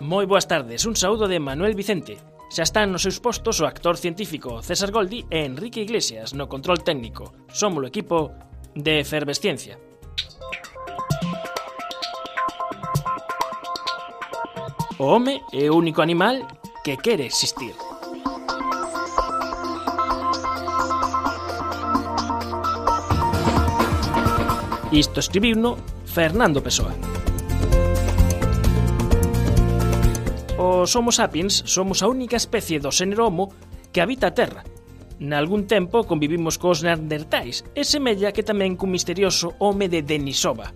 Moi boas tardes, un saúdo de Manuel Vicente. Xa están nos seus postos o actor científico César Goldi e Enrique Iglesias no control técnico. Somos o equipo de Efervesciencia. O home é o único animal que quere existir. Isto escribiuno Fernando Pessoa. Os Homo sapiens somos a única especie do xénero Homo que habita a Terra. Nalgún tempo convivimos cos neandertais e semella que tamén cun misterioso home de Denisova.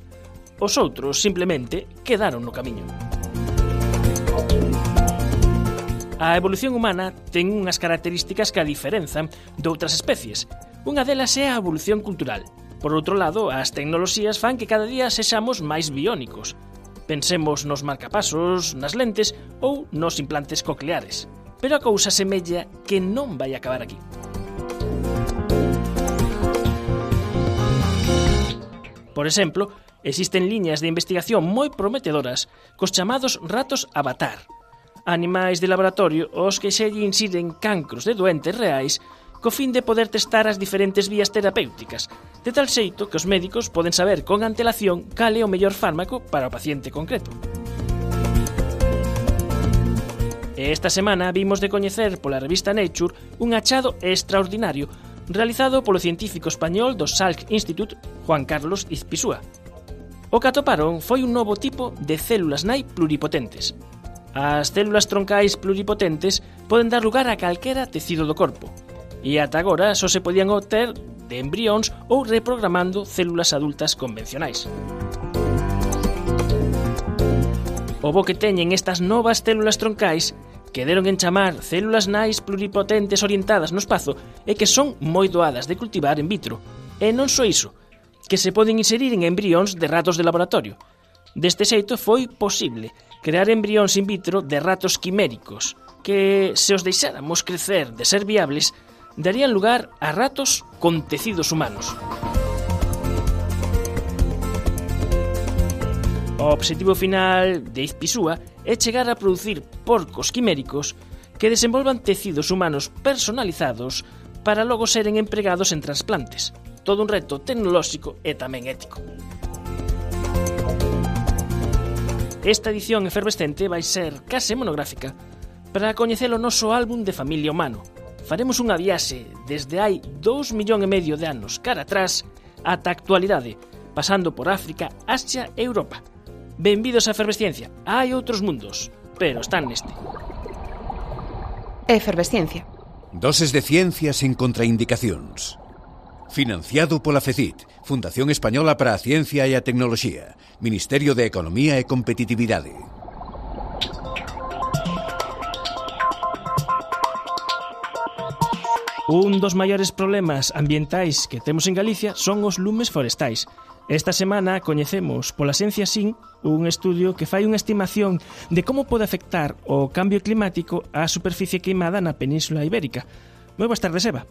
Os outros simplemente quedaron no camiño. A evolución humana ten unhas características que a diferenzan de outras especies. Unha delas é a evolución cultural. Por outro lado, as tecnoloxías fan que cada día sexamos máis biónicos. Pensemos nos marcapasos, nas lentes ou nos implantes cocleares. Pero a cousa semella que non vai acabar aquí. Por exemplo, existen liñas de investigación moi prometedoras cos chamados ratos avatar, animais de laboratorio aos que se lle insiden cancros de doentes reais co fin de poder testar as diferentes vías terapéuticas, de tal xeito que os médicos poden saber con antelación cal é o mellor fármaco para o paciente concreto. E esta semana vimos de coñecer pola revista Nature un achado extraordinario realizado polo científico español do Salk Institute, Juan Carlos Izpisúa. O que atoparon foi un novo tipo de células nai pluripotentes. As células troncais pluripotentes poden dar lugar a calquera tecido do corpo, e ata agora só se podían obter de embrións ou reprogramando células adultas convencionais. O bo que teñen estas novas células troncais, que deron en chamar células nais pluripotentes orientadas no espazo, é que son moi doadas de cultivar in vitro. E non só iso, que se poden inserir en embrións de ratos de laboratorio. Deste xeito foi posible crear embrións in vitro de ratos quiméricos, que, se os deixáramos crecer de ser viables, darían lugar a ratos con tecidos humanos. O obxectivo final de Izpisúa é chegar a producir porcos quiméricos que desenvolvan tecidos humanos personalizados para logo seren empregados en trasplantes. Todo un reto tecnolóxico e tamén ético. Esta edición efervescente vai ser case monográfica para coñecer o noso álbum de familia humano. Faremos unha viaxe desde hai 2,5 millóns de anos cara atrás ata a actualidade, pasando por África, Asia e Europa. Benvidos á Efervesciencia. Hai outros mundos, pero están neste. Efervesciencia. Doses de ciencia sen contraindicacións. Financiado pola FECIT, Fundación Española para a Ciencia e a Tecnoloxía, Ministerio de Economía e Competitividade. Un dos maiores problemas ambientais que temos en Galicia son os lumes forestais. Esta semana coñecemos pola Ciencia Sin un estudio que fai unha estimación de como pode afectar o cambio climático á superficie queimada na Península Ibérica. Moi boas tardes, Eva.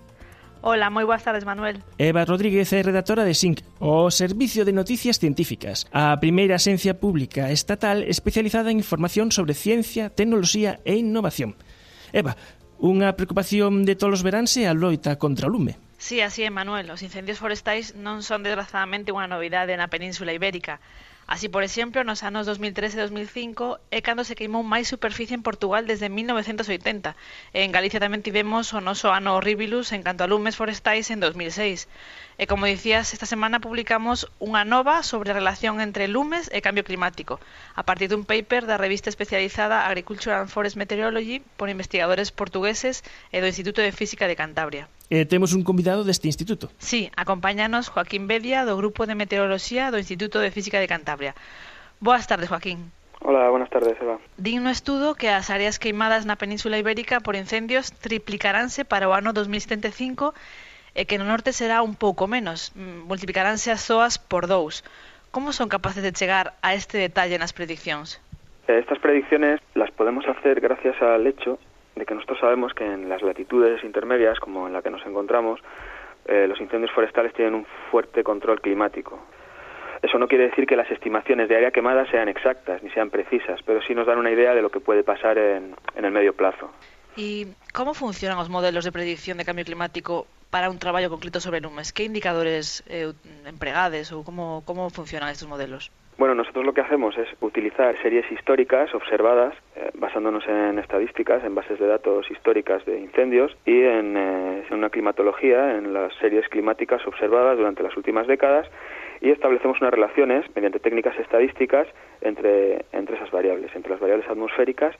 Hola, moi boas tardes, Manuel. Eva Rodríguez é redactora de SINC, o Servicio de Noticias Científicas, a primeira axencia pública estatal especializada en información sobre ciencia, tecnoloxía e innovación. Eva, unha preocupación de todos os veráns é a loita contra o lume. Sí, así é, Manuel. Os incendios forestais non son desgrazadamente unha novidade na Península Ibérica. Así, por exemplo, nos anos 2003 e 2005 é cando se queimou máis superficie en Portugal desde 1980. E en Galicia tamén tivemos o noso ano horribilus en canto a lumes forestais en 2006. E como dicías, esta semana publicamos unha nova sobre a relación entre lumes e cambio climático, a partir dun paper da revista especializada Agriculture and Forest Meteorology por investigadores portugueses e do Instituto de Física de Cantabria. Temos un convidado deste instituto. Sí, acompáñanos Joaquín Bedia, do Grupo de Meteoroloxía do Instituto de Física de Cantabria. Boas tardes, Joaquín. Hola, buenas tardes, Eva. Din no estudo que as áreas queimadas na Península Ibérica por incendios triplicaránse para o ano 2075 e que no norte será un pouco menos, multiplicaránse as zoas por 2. Como son capaces de chegar a este detalle nas prediccións? Estas predicciones las podemos hacer gracias al hecho de que nosotros sabemos que en las latitudes intermedias, como en la que nos encontramos, los incendios forestales tienen un fuerte control climático. Eso no quiere decir que las estimaciones de área quemada sean exactas ni sean precisas, pero sí nos dan una idea de lo que puede pasar en el medio plazo. ¿Y cómo funcionan os modelos de predicción de cambio climático para un traballo concreto sobre lumes? Que indicadores empregades ou como funcionan estes modelos? Bueno, nosotros lo que hacemos es utilizar series históricas observadas, basándonos en estadísticas, en bases de datos históricas de incendios y en una climatología, en las series climáticas observadas durante las últimas décadas, y establecemos unas relaciones mediante técnicas estadísticas entre esas variables, entre las variables atmosféricas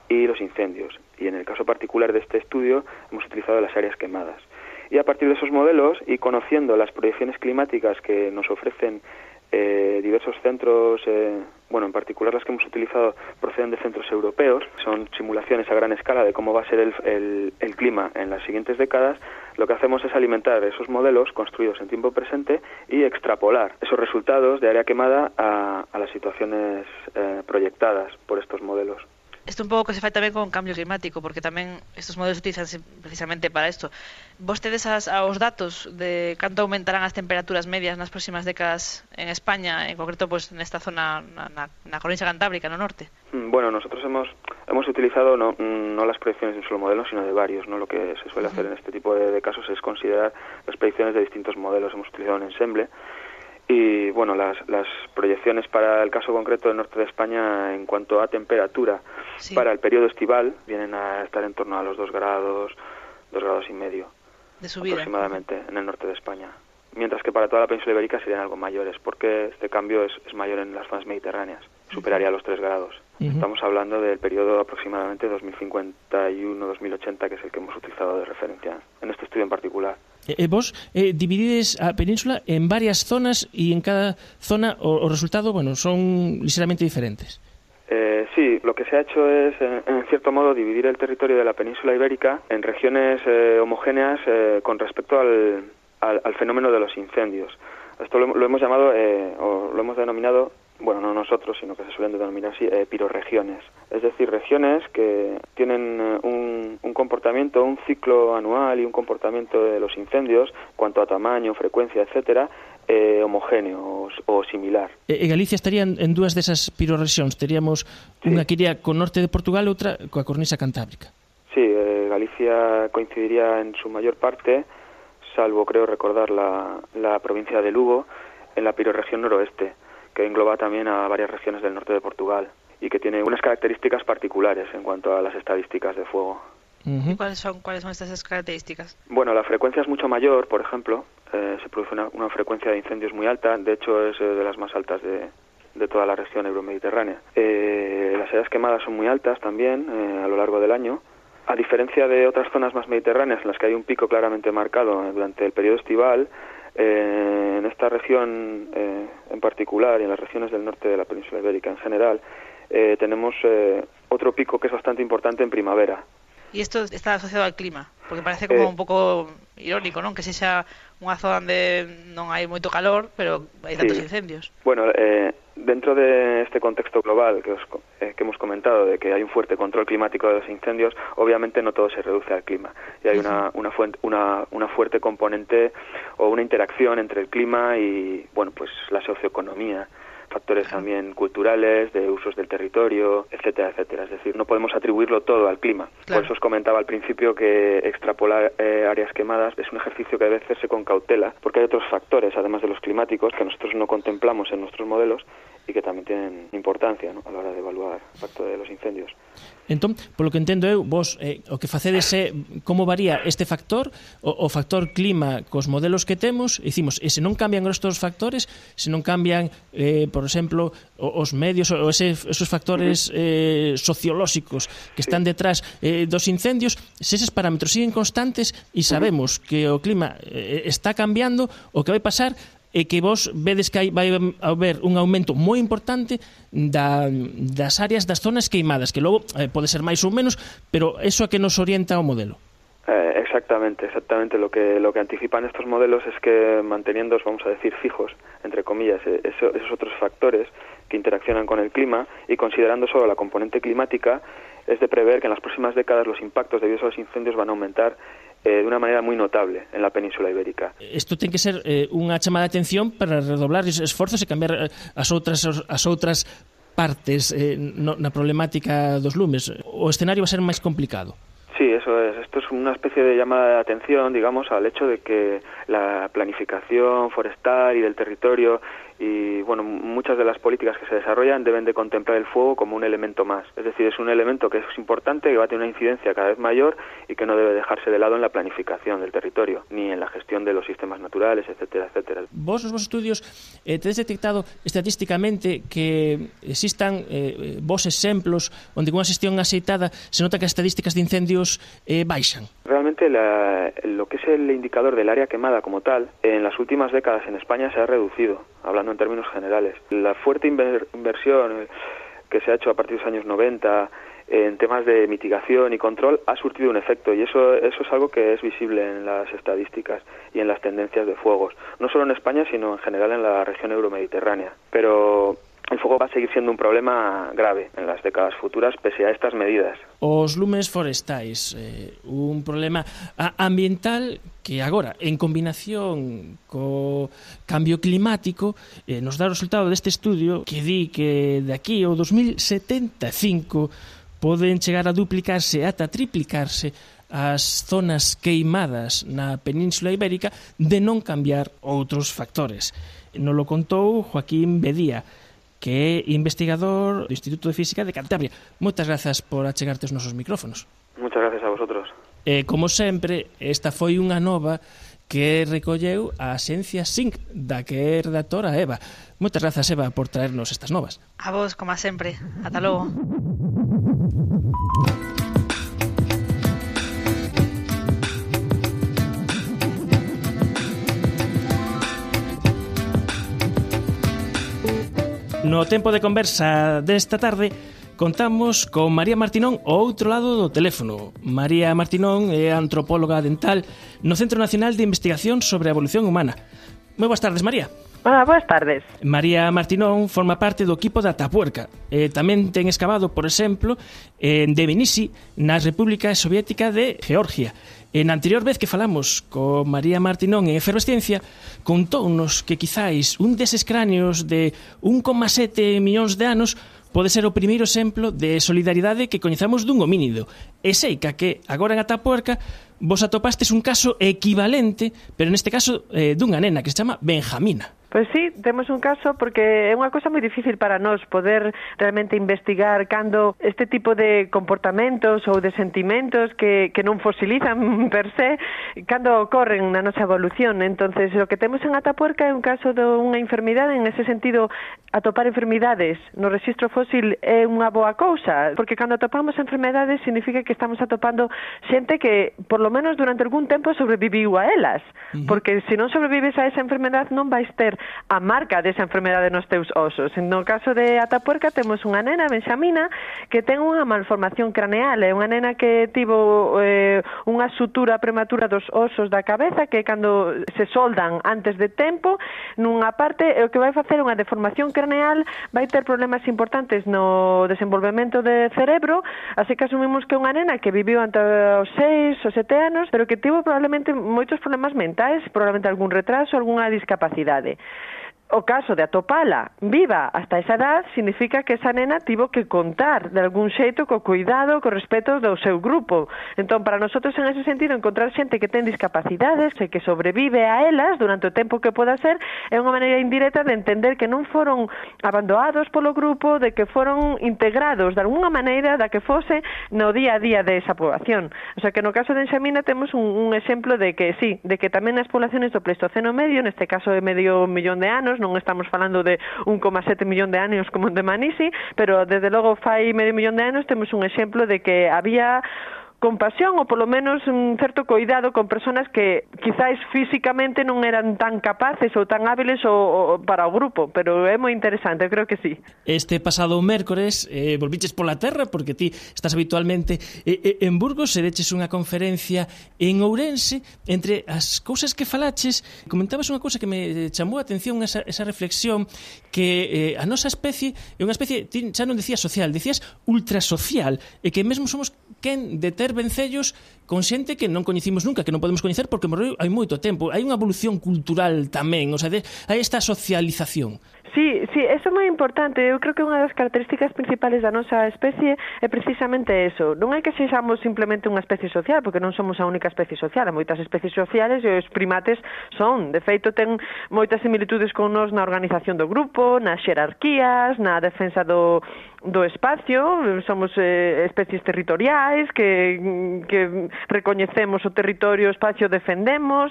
y los incendios. Y en el caso particular de este estudio hemos utilizado las áreas quemadas. Y a partir de esos modelos y conociendo las proyecciones climáticas que nos ofrecen diversos centros, en particular las que hemos utilizado proceden de centros europeos, son simulaciones a gran escala de cómo va a ser el clima en las siguientes décadas. Lo que hacemos es alimentar esos modelos construidos en tiempo presente y extrapolar esos resultados de área quemada a las situaciones proyectadas por estos modelos. Isto un pouco que se fai tamén con cambio climático, porque tamén estes modelos utilizan precisamente para isto. Vos tedes os datos de canto aumentarán as temperaturas medias nas próximas décadas en España, en concreto pues nesta zona na Coruña Cantábrica, no norte? Bueno, nosotros hemos utilizado no las predicciones de un solo modelo, sino de varios, ¿no? Lo que se suele hacer en este tipo de casos es considerar las predicciones de distintos modelos. Hemos utilizado un ensemble. Y bueno, las proyecciones para el caso concreto del norte de España en cuanto a temperatura para el periodo estival vienen a estar en torno a los 2 grados y medio de subida aproximadamente en el norte de España. Mientras que para toda la península ibérica serían algo mayores, porque este cambio es mayor en las zonas mediterráneas, superaría los 3 grados. Estamos hablando del periodo aproximadamente 2051-2080, que es el que hemos utilizado de referencia en este estudio en particular. Vos dividides a península en varias zonas y en cada zona o resultado, son ligeramente diferentes. Sí, lo que se ha hecho es, en cierto modo, dividir el territorio de la península ibérica en regiones homogéneas con respecto al fenómeno de los incendios. Esto lo hemos llamado, o lo hemos denominado, no nosotros, sino que se suelen denominar así, pirorregiones. Es decir, regiones que tienen un comportamiento, un ciclo anual y un comportamiento de los incendios, cuanto a tamaño, frecuencia, etcétera, homogéneo o similar. Galicia estaría en dúas desas pirorrexións. Teríamos unha que iría co norte de Portugal e outra coa cornisa cantábrica. Sí, Galicia coincidiría en su mayor parte, salvo creo recordar la provincia de Lugo, en la pirorregión noroeste, que engloba también a varias regiones del norte de Portugal y que tiene unas características particulares en cuanto a las estadísticas de fuego. ¿Y cuáles son estas características? Bueno, la frecuencia es mucho mayor, por ejemplo, se produce una frecuencia de incendios muy alta, de hecho es de las más altas de toda la región euromediterránea. Las áreas quemadas son muy altas también a lo largo del año, a diferencia de otras zonas más mediterráneas en las que hay un pico claramente marcado durante el periodo estival. En esta región en particular y en las regiones del norte de la península ibérica en general tenemos otro pico que es bastante importante en primavera. E isto está asociado al clima, porque parece como un pouco irónico, non? Que sexa unha zona onde non hai moito calor, pero hai tantos incendios. Bueno, dentro de este contexto global que hemos comentado, de que hay un fuerte control climático de los incendios, obviamente no todo se reduce al clima. Y hay una fuerte componente o una interacción entre el clima y, la socioeconomía, factores también culturales, de usos del territorio, etcétera, etcétera. Es decir, no podemos atribuirlo todo al clima. Claro. Por eso os comentaba al principio que extrapolar áreas quemadas es un ejercicio que debe hacerse con cautela, porque hay otros factores, además de los climáticos, que nosotros no contemplamos en nuestros modelos y que tamén tienen importancia, ¿no?, a la hora de evaluar o impacto de los incendios. Entón, polo que entendo eu, vos o que facedes é como varía este factor, o factor clima cos modelos que temos, e dicimos, e se non cambian estes factores, se non cambian, por exemplo, os medios ou esos factores sociolóxicos que están detrás dos incendios, se eses parámetros siguen constantes e sabemos que o clima está cambiando, o que vai pasar e que vos vedes que vai haber un aumento moi importante das áreas, das zonas queimadas, que logo pode ser máis ou menos, pero eso a que nos orienta o modelo. Exactamente. Lo que anticipan estos modelos es que manteniendo, vamos a decir, fijos, entre comillas, esos otros factores que interaccionan con el clima, y considerando solo la componente climática, es de prever que en las próximas décadas los impactos debidos a los incendios van a aumentar de una manera moi notable en la Península Ibérica. Isto ten que ser unha chamada de atención para redoblar os esforzos e cambiar as outras partes na problemática dos lumes. O escenario va a ser máis complicado. Sí, eso es. Esto es una especie de llamada de atención, digamos, al hecho de que la planificación forestal y del territorio y, bueno, muchas de las políticas que se desarrollan deben de contemplar el fuego como un elemento más. Es decir, es un elemento que es importante, que va a tener una incidencia cada vez mayor y que no debe dejarse de lado en la planificación del territorio, ni en la gestión de los sistemas naturales, etcétera, etcétera. Vos, nos vos estudios, tedes detectado estatísticamente que existan vos exemplos onde con unha xestión axeitada se nota que as estadísticas de incendios baixan? Realmente lo que es el indicador del área quemada como tal, en las últimas décadas en España se ha reducido, hablando en términos generales. La fuerte inversión que se ha hecho a partir de los años 90 en temas de mitigación y control ha surtido un efecto, y eso es algo que es visible en las estadísticas y en las tendencias de fuegos, no solo en España sino en general en la región euromediterránea. Pero el fuego va a seguir siendo un problema grave en las décadas futuras pese a estas medidas. Os lumes forestais, un problema ambiental que agora, en combinación co cambio climático, nos dá o resultado deste estudio que di que de aquí ao 2075 poden chegar a duplicarse ata triplicarse as zonas queimadas na Península Ibérica de non cambiar outros factores. Nos lo contou Joaquín Bedía, que é investigador do Instituto de Física de Cantabria. Moitas grazas por achegarte os nosos micrófonos. Muchas gracias a vosotros. Como sempre, esta foi unha nova que recolleu a Axencia SINC, da que é redactora Eva. Moitas grazas, Eva, por traernos estas novas. A vos, como sempre. Ata logo. No tempo de conversa desta tarde contamos con María Martinón ao outro lado do teléfono. María Martinón é antropóloga dental no Centro Nacional de Investigación sobre a Evolución Humana. Moi boas tardes, María. Hola, boas tardes. María Martinón forma parte do equipo da Atapuerca. Tamén ten excavado, por exemplo, en Tbilisi, na República Soviética de Georgia. Na anterior vez que falamos con María Martinón en Efervesciencia, contounos que quizáis un deses cráneos de 1,7 millóns de anos pode ser o primeiro exemplo de solidaridade que coñezamos dun homínido. E sei que agora en Atapuerca vos atopastes un caso equivalente, pero neste caso dunha nena que se chama Benjamina. Pois sí, temos un caso porque é unha cosa moi difícil para nós poder realmente investigar cando este tipo de comportamentos ou de sentimentos que non fosilizan per se, cando ocorren na nosa evolución. Entonces, o que temos en Atapuerca é un caso de unha enfermidade, en ese sentido, atopar enfermidades no rexistro fósil é unha boa cousa, porque cando atopamos enfermedades significa que estamos atopando xente que, por lo menos durante algún tempo, sobreviviu a elas, porque se non sobrevives a esa enfermedade non vais ter a marca desa enfermedade nos teus osos. No caso de Atapuerca temos unha nena, Benxamina, que ten unha malformación craneal, é unha nena que tivo unha sutura prematura dos osos da cabeza que cando se soldan antes de tempo nunha parte, o que vai facer unha deformación craneal, vai ter problemas importantes no desenvolvemento de cerebro, así que asumimos que é unha nena que viviu ante os 6 ou 7 anos, pero que tivo probablemente moitos problemas mentais, probablemente algún retraso, algunha discapacidade. O caso de atopala viva hasta esa edad significa que esa nena tivo que contar de algún xeito co cuidado, co respeto do seu grupo. Entón, para nosotros, en ese sentido, encontrar xente que ten discapacidades e que sobrevive a elas durante o tempo que poda ser é unha maneira indirecta de entender que non foron abandonados polo grupo, de que foron integrados de alguna maneira da que fose no día a día de esa poboación. O sea, que no caso de Benxamina temos un exemplo de que sí, de que tamén nas poblaciones do Pleistoceno medio, neste caso de medio millón de anos, non estamos falando de 1,7 millón de anos como en Dmanisi, pero desde logo fai medio millón de anos temos un exemplo de que había compasión ou polo menos un certo cuidado con persoas que quizáis físicamente non eran tan capaces ou tan hábiles ou para o grupo, pero é moi interesante, eu creo que sí. Este pasado mércores volviches pola terra porque ti estás habitualmente en Burgos e deches unha conferencia en Ourense. Entre as cousas que falaches, comentabas unha cousa que me chamou a atención, esa reflexión que a nosa especie é unha especie, ti xa non decías social, decías ultrasocial, e que mesmo somos quen de ter vencellos con xente que non coñecimos nunca, que non podemos coñecer porque morreu hai moito tempo. Hai unha evolución cultural tamén, o sea, hai esta socialización. Sí, eso é moi importante. Eu creo que unha das características principales da nosa especie é precisamente eso. Non é que sexamos simplemente unha especie social, porque non somos a única especie social. Hai moitas especies sociales e os primates son. De feito, ten moitas similitudes con nós na organización do grupo, nas xerarquías, na defensa do espacio. Somos especies territoriais que recoñecemos o territorio, o espacio, defendemos,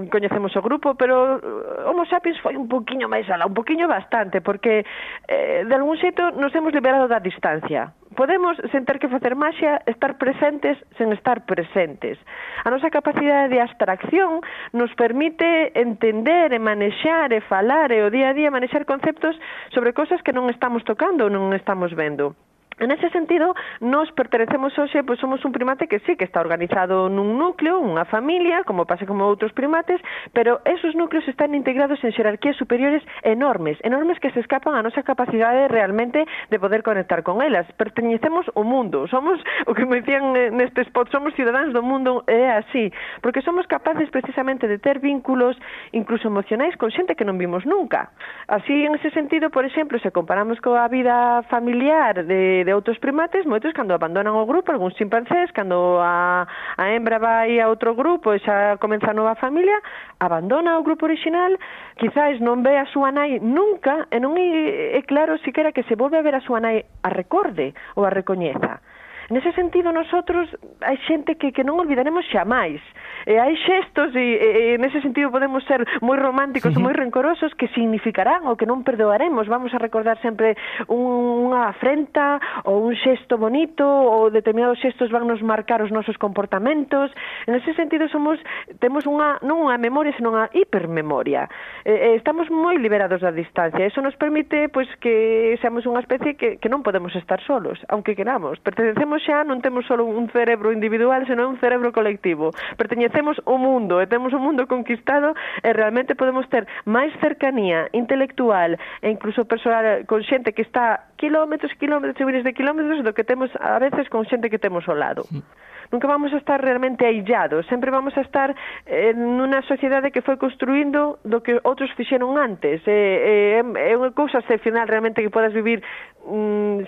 coñecemos o grupo, pero Homo sapiens foi un poquinho máis alá, un poquinho bastante, porque de algún xeito nos hemos liberado da distancia. Podemos, sen ter que facer maxia, estar presentes sen estar presentes. A nosa capacidade de abstracción nos permite entender e manexar e falar e o día a día manexar conceptos sobre cosas que non estamos tocando ou non estamos vendo. En ese sentido, nos pertenecemos hoxe, pois somos un primate que sí que está organizado nun núcleo, unha familia, como pasa como outros primates, pero esos núcleos están integrados en xerarquías superiores enormes que se escapan a nosa capacidade realmente de poder conectar con elas. Pertenecemos ao mundo, somos, o que me dicían neste spot, somos cidadáns do mundo, é así, porque somos capaces precisamente de ter vínculos incluso emocionais con xente que non vimos nunca. Así, en ese sentido, por exemplo, se comparamos coa vida familiar de outros primates, moitos cando abandonan o grupo, algúns chimpancés, cando a hembra vai a outro grupo e xa comeza a nova familia, abandona o grupo original, quizás non ve a súa nai nunca, e non é claro siquera que se volve a ver a súa nai a recorde ou a recoñeza. En ese sentido, nosotros hai xente que non olvidaremos xamais. E hai xestos e nese sentido podemos ser moi románticos ou moi rencorosos que significarán ou que non perdoaremos. Vamos a recordar sempre unha afrenta ou un xesto bonito, ou determinados xestos van nos marcar os nosos comportamentos. En ese sentido temos non unha memoria, senón unha hipermemoria. Estamos moi liberados da distancia. Eso nos permite pois que seamos unha especie que non podemos estar solos, aunque queramos. Pertenecemos xa, non temos só un cerebro individual, senón un cerebro colectivo. Pertenecemos ao mundo e temos o mundo conquistado e realmente podemos ter máis cercanía intelectual e incluso personal con xente que está kilómetros e miles de kilómetros do que temos a veces con xente que temos ao lado. Nunca vamos a estar realmente aillados, sempre vamos a estar nunha sociedade que foi construindo do que outros fixeron antes. É unha cousa excepcional realmente que podas vivir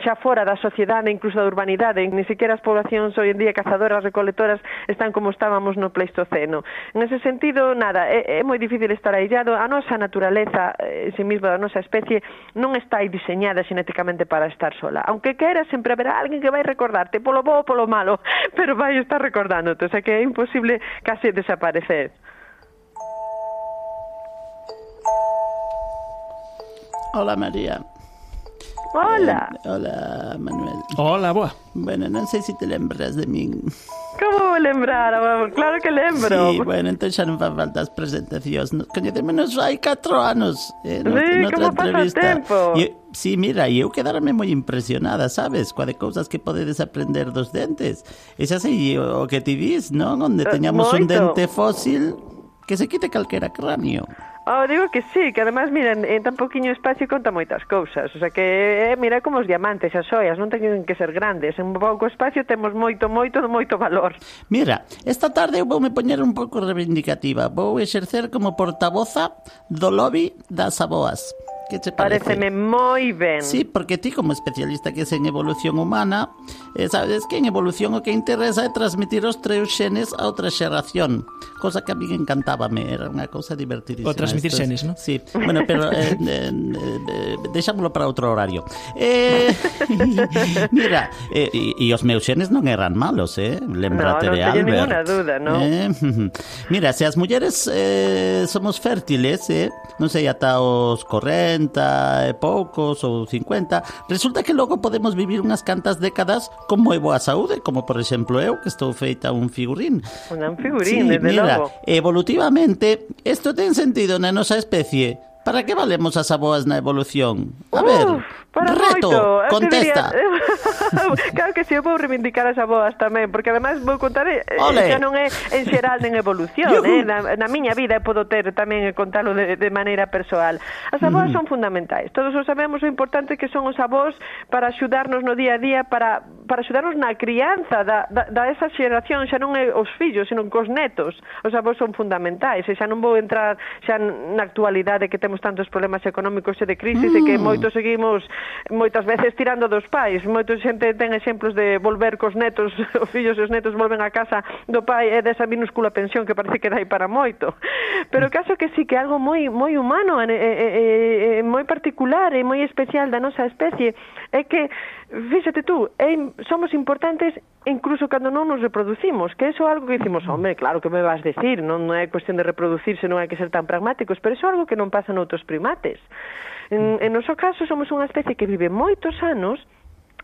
xa fora da sociedade, incluso da urbanidade. Ni siquiera as poblacións hoy en día cazadoras, recolectoras están como estábamos no Pleistoceno. En ese sentido, nada, é moi difícil estar aillado. A nosa naturaleza, en si misma da nosa especie, non está diseñada xenéticamente para estar sola. Aunque quera, sempre haberá alguén que vai recordarte polo bo ou polo malo, pero vai estar recordándote, o sea que é imposible case desaparecer. Hola, María. Hola. Hola, Manuel. Hola, boa. Bueno, non sei se te lembras de min. Como vou lembrar? Claro que lembro. Sí, bueno, entón xa non fan falta as presentacións. Coñecémonos hai 4 anos. Sí, como pasa o tempo. Sí, mira, eu quedarme moi impresionada, sabes? Coa de cousas que podedes aprender dos dentes. E xa sei o que ti dis, non? Onde teñamos un dente fósil que se quite calquera cráneo. Digo que sí, que además, mira, en tan poquinho espacio conta moitas cousas. O sea que, mira, como os diamantes, as xoias, non teñen que ser grandes. En pouco espacio temos moito valor. Mira, esta tarde eu voume poñer un pouco reivindicativa. Vou exercer como portavoza do lobby das aboas. Que che parece? Pareceme moi ben. Sí, porque ti como especialista que es en evolución humana, sabes que en evolución o que interesa é transmitir os teus xenes a outra xeración, cosa que a mí encantábame, era unha cousa divertidísima. O transmitir xenes, non? Sí, bueno, pero deixámoslo para outro horario. Mira, e os meus xenes non eran malos, lembrate de Albert. Non teño ninguna duda, non? Mira, se as mulleres somos fértiles, non sei, ata os correntes, 40 e poucos ou 50, resulta que logo podemos vivir unhas cantas décadas con moi boa saúde, como por exemplo eu, que estou feita un figurín. Un figurín, desde logo. Evolutivamente, isto ten sentido na nosa especie. Para que valemos as aboas na evolución? A ver, reto, moito. contesta. Claro que si, eu vou reivindicar as aboas tamén, porque ademais vou contar, xa non é en xeral nen evolución, na miña vida podo ter tamén contalo de maneira persoal. As aboas son fundamentais, todos o sabemos o importante que son os avós para axudarnos no día a día, para axudarnos na crianza da esa xeración, xa non é os fillos, senón cos netos. Os avós son fundamentais, e xa non vou entrar xa na actualidade que temos tantos problemas económicos e de crisis e que moitos seguimos moitas veces tirando dos pais. Moita xente ten exemplos de volver cos netos, os fillos e os netos volven a casa do pai e desa minúscula pensión que parece que dai para moito. Pero o caso que sí que é algo moi humano e moi particular e moi especial da nosa especie é que, fíxate tú, somos importantes incluso cando non nos reproducimos, que eso é algo que dicimos, home, claro que me vas decir, non é cuestión de reproducirse, non hai que ser tan pragmáticos, pero eso é algo que non pasa noutros primates. En noso caso somos unha especie que vive moitos anos,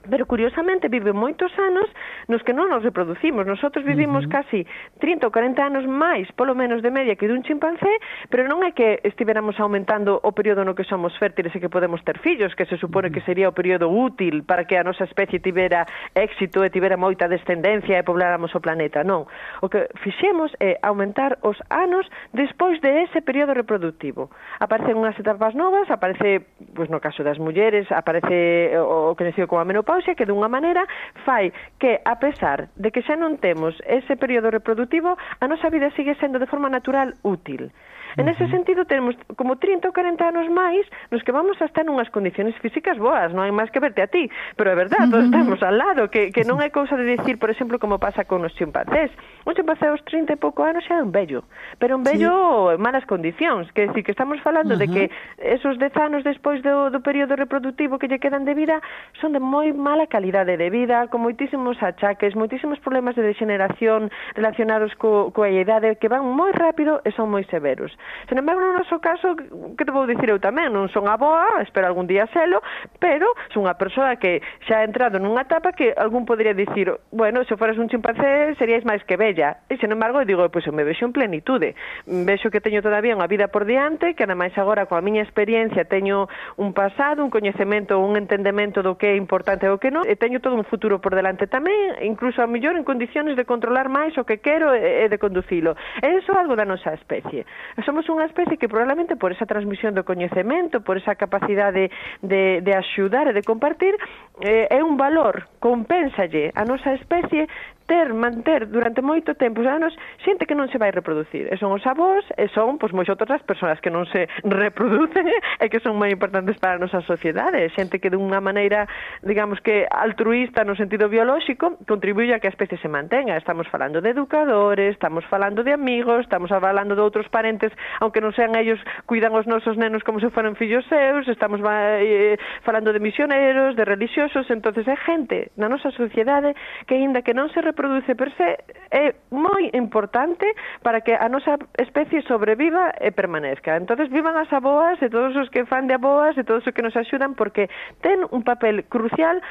pero curiosamente vive moitos anos nos que non nos reproducimos. Nosotros vivimos casi 30 ou 40 anos máis, polo menos de media, que dun chimpancé, pero non é que estiveramos aumentando o período no que somos fértiles e que podemos ter fillos, que se supone que sería o período útil para que a nosa especie tivera éxito e tivera moita descendencia e pobláramos o planeta. Non. O que fixemos é aumentar os anos despois de ese período reproductivo. Aparecen unhas etapas novas, aparece, pois no caso das mulleres, aparece o coñecido como a menopausia, que dunha maneira fai que, a pesar de que xa non temos ese período reproductivo, a nosa vida sigue sendo de forma natural útil. En ese sentido, tenemos como 30 ou 40 anos máis nos que vamos a estar nunhas condiciones físicas boas, non hai máis que verte a ti, pero é verdade, todos estamos al lado, que non é cousa de decir, por exemplo, como pasa con os chimpancés. Un chimpancé aos 30 e pouco anos xa é un vello, pero un vello en malas condicións, que decir, que estamos falando de que esos 10 anos despois do período reproductivo que lle quedan de vida son de moi mala calidade de vida, con moitísimos achaques, moitísimos problemas de degeneración relacionados coa idade que van moi rápido e son moi severos. Sen embargo, no noso caso, que te vou dicir eu tamén, non son aboa, espero algún día selo, pero son unha persoa que xa ha entrado nunha etapa que algún podría dicir, bueno, se foras un chimpancé seríais máis que bella. E, sen embargo, eu digo, pois eu me vexo en plenitude. Vexo que teño todavía unha vida por diante, que ademais agora, coa miña experiencia, teño un pasado, un coñecemento, un entendemento do que é importante e o que non, e teño todo un futuro por delante tamén, incluso a mellor en condiciones de controlar máis o que quero e de conducilo. E iso é algo da nosa especie. Somos unha especie que probablemente por esa transmisión do coñecemento, por esa capacidade de axudar e de compartir, é un valor, compénsalle a nosa especie manter durante moito tempo, anos, xente que non se vai reproducir. E son os avós, e son, pois, moi outras persoas que non se reproducen e que son moi importantes para a nosa sociedade. Xente que dunha maneira, digamos que altruista no sentido biolóxico, contribuye a que a especie se mantenga. Estamos falando de educadores, estamos falando de amigos, estamos falando de outros parentes, aunque non sean ellos, cuidan os nosos nenos como se foran fillos seus, estamos falando de misioneros, de religiosos. Entonces é gente na nosa sociedade que, aínda que non se reproduce per se, é moi importante para que a nosa especie sobreviva e permanezca. Entonces vivan as aboas e todos os que fan de aboas e todos os que nos axudan, porque ten un papel crucial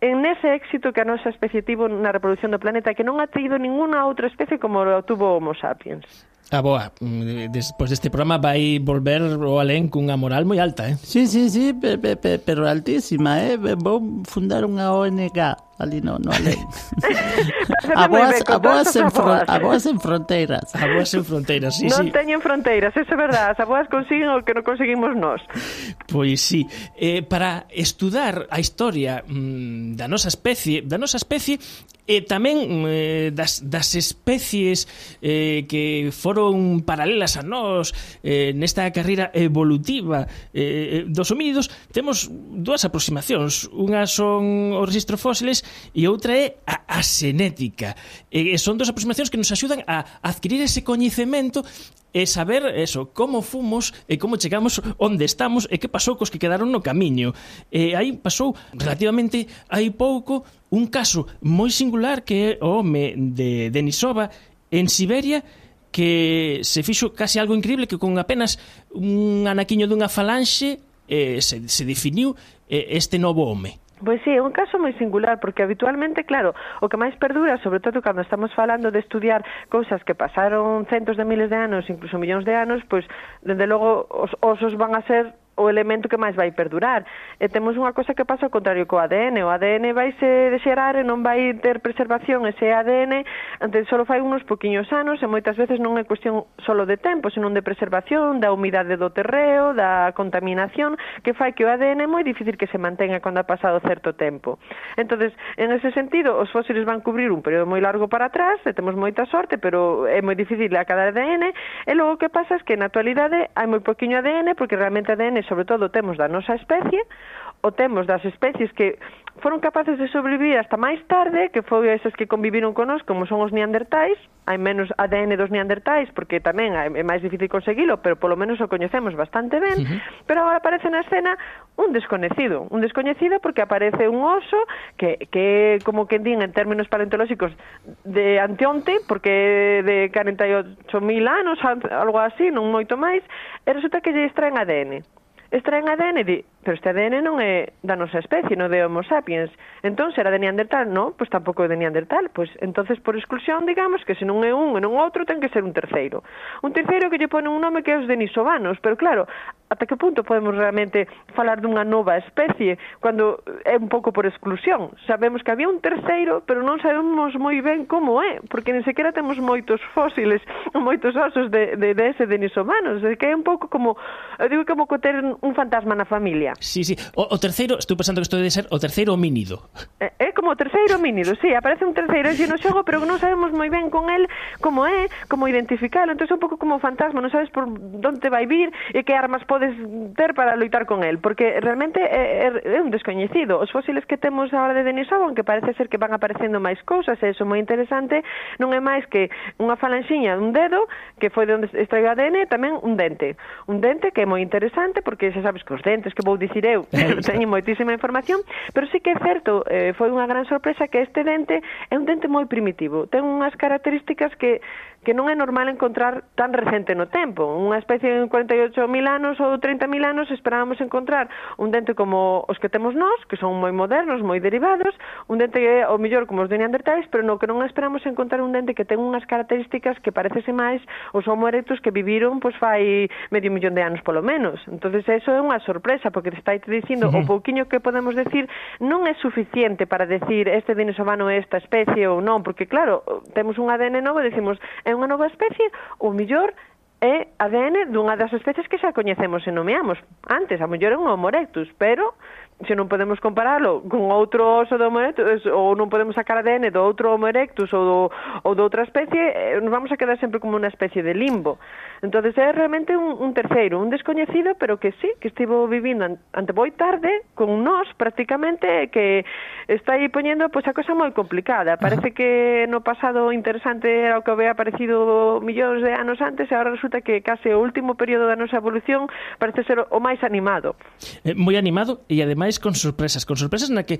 en ese éxito que a nosa especie tivo na reproducción do planeta, que non ha tido ninguna outra especie como lo tuvo Homo sapiens. A boa, despois deste programa vai volver o alén cunha moral moi alta, Sí, pero altísima, Vou fundar unha ONG ali no alén. Aboas en fronteiras. Aboas en fronteiras, sí. Non teñen fronteiras, eso é verdade. As aboas consiguen o que non conseguimos nós. Pois sí. Para estudar a historia da nosa especie, e tamén das especies que foron paralelas a nós nesta carreira evolutiva dos homínidos, temos dúas aproximacións. Unha son os registros fósiles e outra é a xenética. Son dúas aproximacións que nos axudan a adquirir ese coñecemento e saber eso, como fomos e como chegamos onde estamos e que pasou cos que quedaron no camiño. Aí pasou relativamente hai pouco un caso moi singular que é o home de Denisova en Siberia, que se fixo casi algo increíble, que con apenas un anaquiño dunha falanxe se definiu este novo home. Pois sí, é un caso moi singular, porque habitualmente, claro, o que máis perdura, sobre todo cando estamos falando de estudiar cousas que pasaron centos de miles de anos, incluso millóns de anos, pois, dende logo, os osos van a ser o elemento que máis vai perdurar. E temos unha cosa que pasa ao contrario co ADN. O ADN vaise dexerar e non vai ter preservación ese ADN antes só fai uns poquiños anos, e moitas veces non é cuestión só de tempo, senón de preservación, da humidade do terreo, da contaminación, que fai que o ADN é moi difícil que se mantenga cando ha pasado certo tempo. Entonces, en ese sentido, os fósiles van cubrir un período moi largo para atrás, e temos moita sorte, pero é moi difícil a cada ADN, e logo o que pasa é que na actualidade hai moi poquinho ADN, porque realmente ADN sobre todo temos da nosa especie, o temos das especies que foron capaces de sobrevivir hasta máis tarde, que foi esas que conviviron con nós, como son os neandertais. Hai menos ADN dos neandertais, porque tamén é máis difícil conseguilo, pero polo menos o coñecemos bastante ben. Pero agora aparece na escena un descoñecido porque aparece un oso que como que din en términos paleontolóxicos de anteonte, porque de 48.000 anos, algo así, non moito máis, e resulta que lle extraen ADN. Extraen ADN e pero este ADN non é da nosa especie, non de Homo sapiens. Entón, será de Neandertal? Non, pois tampouco é de Neandertal. Pois, entonces, por exclusión, digamos que se non é un e non outro, ten que ser un terceiro. Un terceiro que lle pone un nome que é os denisovanos. Pero, claro, ata que punto podemos realmente falar dunha nova especie cando é un pouco por exclusión? Sabemos que había un terceiro, pero non sabemos moi ben como é, porque nin sequera temos moitos fósiles, moitos osos de ese denisovanos. É que é un pouco como, eu digo, como ter un fantasma na familia. Sí. O terceiro, estou pensando que isto debe ser o terceiro homínido. É como o terceiro homínido, sí, aparece un terceiro xe no xogo, pero non sabemos moi ben con el como é, como identificalo. Entón é un pouco como o fantasma, non sabes por onde vai vir e que armas podes ter para loitar con el, porque realmente é un descoñecido. Os fósiles que temos agora de Denisova, que parece ser que van aparecendo máis cousas, e iso moi interesante, non é máis que unha falanxiña dun dedo, que foi de onde extraiu ADN, tamén un dente que é moi interesante, porque xa sabes que os dentes que vou dicir eu, teño moitísima información, pero sí que é certo, foi unha gran sorpresa que este dente é un dente moi primitivo, ten unhas características que non é normal encontrar tan recente no tempo. Unha especie de 48.000 anos ou 30.000 anos esperábamos encontrar un dente como os que temos nós, que son moi modernos, moi derivados, un dente que é o mellor como os de Neandertais, pero no que non esperamos encontrar un dente que ten unhas características que parecese máis os Homo erectus que viviron pois fai 500.000 de anos polo menos. Entonces eso é unha sorpresa, porque te está dicindo o pouquiño que podemos decir non é suficiente para decir este denisovano é esta especie ou non, porque claro, temos un ADN novo e decimos é unha nova especie, o mellor é ADN dunha das especies que xa coñecemos e nomeamos antes, a mellor é un Homo erectus, pero se non podemos comparalo con outro oso do Homo erectus, ou non podemos sacar ADN do outro Homo erectus ou de outra especie, nos vamos a quedar sempre como unha especie de limbo. Entonces é realmente un terceiro, un descoñecido, pero que sí, que estivo vivindo ante moi tarde con nós prácticamente, que está aí poñendo pois a cosa moi complicada. Parece que no pasado interesante era o que había aparecido millóns de anos antes, e agora resulta que case o último período da nosa evolución parece ser o máis animado. Moi animado, e ademais con sorpresas na que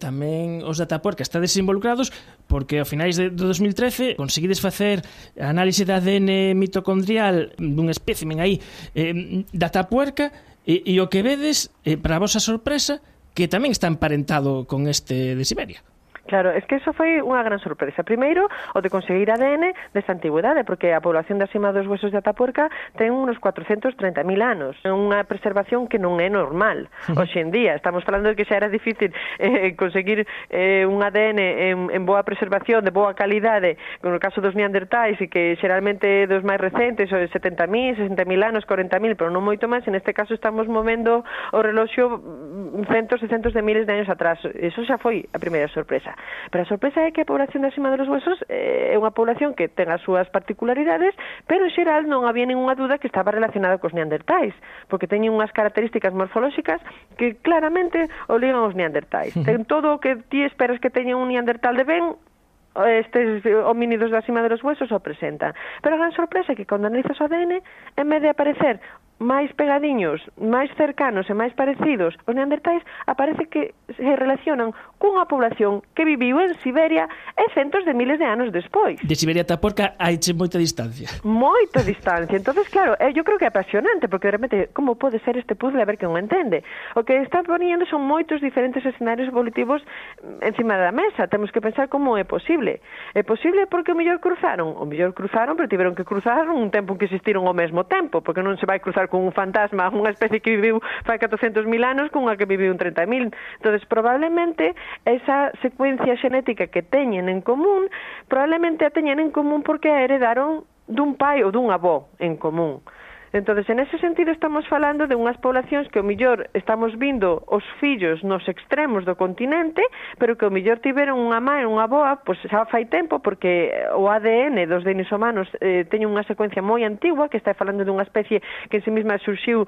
tamén os Datapuerca estades involucrados, porque ao finais de 2013 conseguides facer análise de ADN mitocondrial dun espécimen aí Datapuerca, e o que vedes, para a vosa sorpresa, que tamén está emparentado con este de Siberia. Claro, es que eso foi unha gran sorpresa. Primeiro, o de conseguir ADN desta antigüedade, porque a población da cima dos huesos de Atapuerca ten unos 430.000 anos. É unha preservación que non é normal. Hoxe en día, estamos falando de que xa era difícil conseguir un ADN en boa preservación, de boa calidade, no caso dos neandertais, e que xeralmente dos máis recentes, o de 70.000, 60.000 anos, 40.000, pero non moito máis. En este caso estamos movendo o reloxo centos e centos de miles de anos atrás. Eso xa foi a primeira sorpresa. Pero a sorpresa é que a población da cima dos huesos é unha población que ten as súas particularidades, pero en xeral non había ninguna duda que estaba relacionada cos neandertais, porque teñen unhas características morfolóxicas que claramente obligan aos neandertais. Ten todo o que ti esperas que teña un neandertal de ben, estes homínidos da cima dos huesos o presentan. Pero a gran sorpresa é que cando analizas o ADN, en vez de aparecer máis pegadiños, máis cercanos e máis parecidos, os neandertais aparece que se relacionan cunha población que viviu en Siberia e é centos de miles de anos despois. De Siberia ata Porca haiche moita distancia. Moita distancia. Entonces, claro, eu creo que é apasionante, porque de repente, como pode ser este puzzle, a ver quen o entende? O que está poniendo son moitos diferentes escenarios evolutivos encima da mesa. Temos que pensar como é posible. É posible porque o mellor cruzaron, pero tiveron que cruzar un tempo en que existiron ao mesmo tempo, porque non se vai cruzar con un fantasma, unha especie que viviu fai 400.000 anos con unha que viviu 30.000. Entonces, probablemente esa secuencia xenética que teñen en común, probablemente a teñen en común porque a heredaron dun pai ou dun avó en común. Entonces, en ese sentido, estamos falando de unhas poblacións que o millor estamos vindo os fillos nos extremos do continente, pero que o millor tiveron unha mãe e unha avoa, pois xa fai tempo, porque o ADN dos denisovanos teñen unha secuencia moi antigua, que está falando dunha especie que en sí mesma surxiu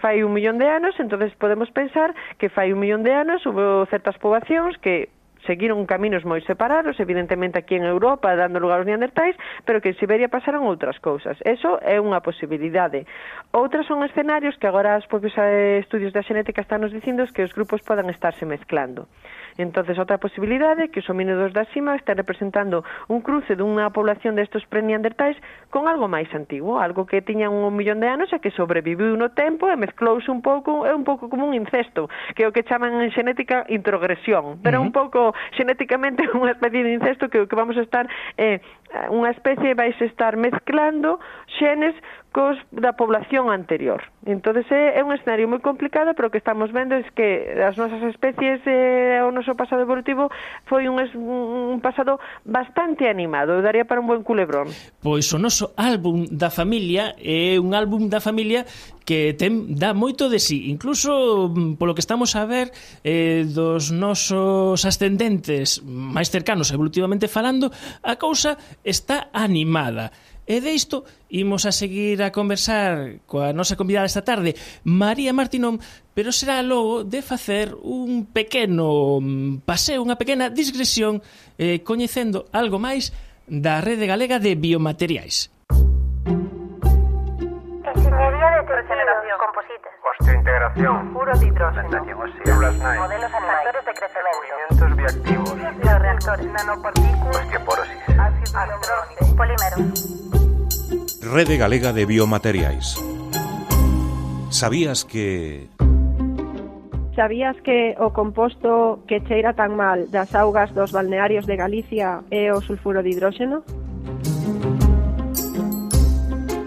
fai 1 millón de anos. Entonces podemos pensar que fai 1 millón de anos houve certas poboacións que seguiron caminos moi separados, evidentemente aquí en Europa dando lugar aos neandertais, pero que en Siberia pasaron outras cousas. Eso é unha posibilidade. Outras son escenarios que agora os propios estudios da xenética están nos dicindo que os grupos podan estarse mezclando. Entonces, outra posibilidade é que os homínidos da cima estén representando un cruce dunha población destes pre-neandertais con algo máis antigo, algo que tiñan 1 millón de anos e que sobreviviu no tempo e mezclouse un pouco, é un pouco como un incesto, que é o que chaman en xenética introgresión, pero un pouco xenéticamente unha especie de incesto que o que vamos a estar unha especie vais estar mezclando xenes cos da población anterior. Entonces é un escenario moi complicado, pero o que estamos vendo é que as nosas especies o noso pasado evolutivo foi un pasado bastante animado, daría para un buen culebrón. Pois o noso álbum da familia é un álbum da familia que dá moito de sí, incluso polo que estamos a ver dos nosos ascendentes máis cercanos evolutivamente falando, a cousa está animada. E deisto imos a seguir a conversar coa nosa convidada esta tarde, María Martínón, pero será logo de facer un pequeno paseo, unha pequena digresión, coñecendo algo máis da Rede Galega de Biomateriais. Ingeniería de regeneración, composites, osteointegración, furo de hidrógeno, células NAI, modelos factores de crecimiento, movimientos bioactivos, bioreactores, nanopartículas, osteoporosis, artrosis, polímeros. Rede Galega de Biomateriais. Sabías que o composto que cheira tan mal das augas dos balnearios de Galicia é o sulfuro de hidróxeno?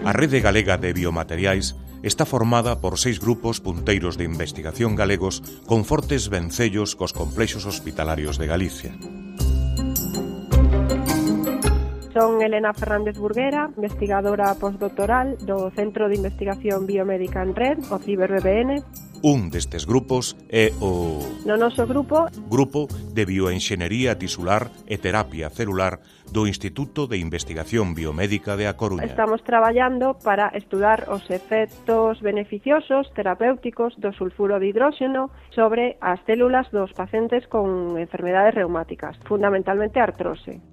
a Rede Galega de Biomateriais está formada por 6 grupos punteiros de investigación galegos con fortes vencellos cos complexos hospitalarios de Galicia. Son Elena Fernández Burguera, investigadora postdoctoral do Centro de Investigación Biomédica en Red, o CiberBBN. Un destes grupos é o... No noso grupo... Grupo de Bioenxenería Tisular e Terapia Celular do Instituto de Investigación Biomédica de A Coruña. Estamos traballando para estudar os efectos beneficiosos terapéuticos do sulfuro de hidróxeno sobre as células dos pacientes con enfermedades reumáticas, fundamentalmente artrose.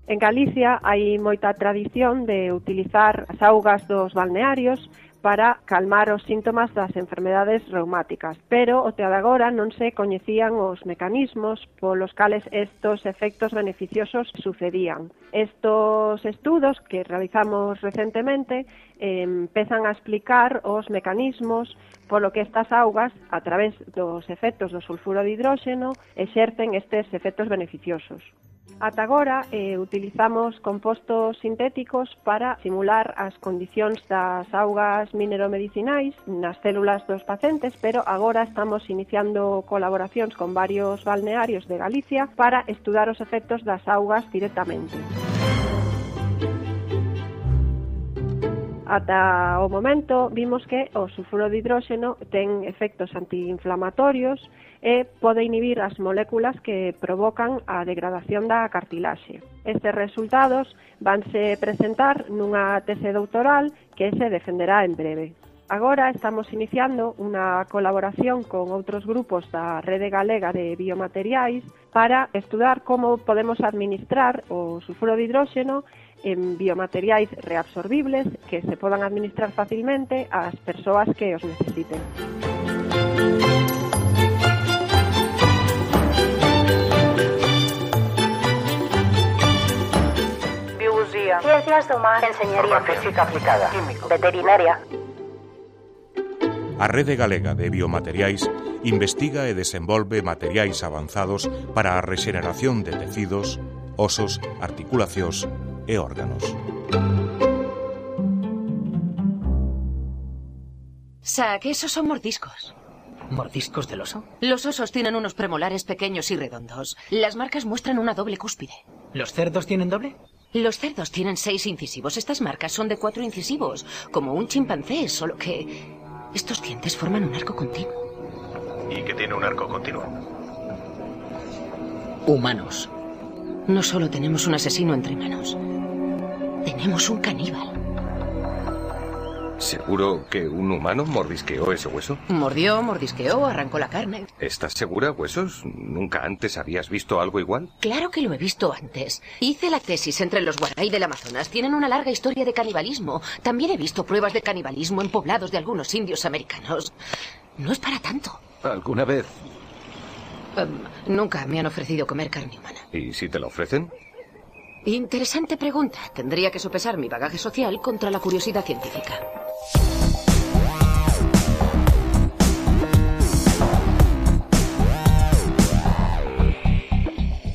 En Galicia hai moita tradición de utilizar as augas dos balnearios para calmar os síntomas das enfermedades reumáticas, pero o de agora non se coñecían os mecanismos polos cales estos efectos beneficiosos sucedían. Estos estudos que realizamos recentemente empezan a explicar os mecanismos polo que estas augas, a través dos efectos do sulfuro de hidróxeno, exercen estes efectos beneficiosos. Ata agora utilizamos compostos sintéticos para simular as condicións das augas mineromedicinais nas células dos pacientes, pero agora estamos iniciando colaboracións con varios balnearios de Galicia para estudar os efectos das augas directamente. Ata o momento vimos que o sulfuro de hidróxeno ten efectos antiinflamatorios e pode inhibir as moléculas que provocan a degradación da cartilaxe. Estes resultados vanse presentar nunha tese doutoral que se defenderá en breve. Agora estamos iniciando unha colaboración con outros grupos da Rede Galega de Biomateriais para estudar como podemos administrar o sulfuro de hidróxeno en biomateriais reabsorbibles que se podan administrar facilmente ás persoas que os necesiten. Biología. Ciencias do mar. Enseñería. Física aplicada. Químico. Veterinaria. A Rede Galega de Biomateriais investiga e desenvolve materiais avanzados para a rexeneración de tecidos, osos, articulacións e órganos. Sac, esos son mordiscos. ¿Mordiscos del oso? Los osos tienen unos premolares pequeños y redondos. Las marcas muestran una doble cúspide. ¿Los cerdos tienen doble? Los cerdos tienen 6 incisivos. Estas marcas son de 4 incisivos, como un chimpancé, solo que estos dientes forman un arco continuo. ¿Y qué tiene un arco continuo? Humanos. No solo tenemos un asesino entre manos, tenemos un caníbal. ¿Seguro que un humano mordisqueó ese hueso? Mordió, mordisqueó, arrancó la carne. ¿Estás segura, Huesos? ¿Nunca antes habías visto algo igual? Claro que lo he visto antes. Hice la tesis entre los Waray del Amazonas. Tienen una larga historia de canibalismo. También he visto pruebas de canibalismo en poblados de algunos indios americanos. No es para tanto. ¿Alguna vez? Nunca me han ofrecido comer carne humana. ¿Y si te la ofrecen? Interesante pregunta. Tendría que sopesar mi bagaje social contra la curiosidad científica.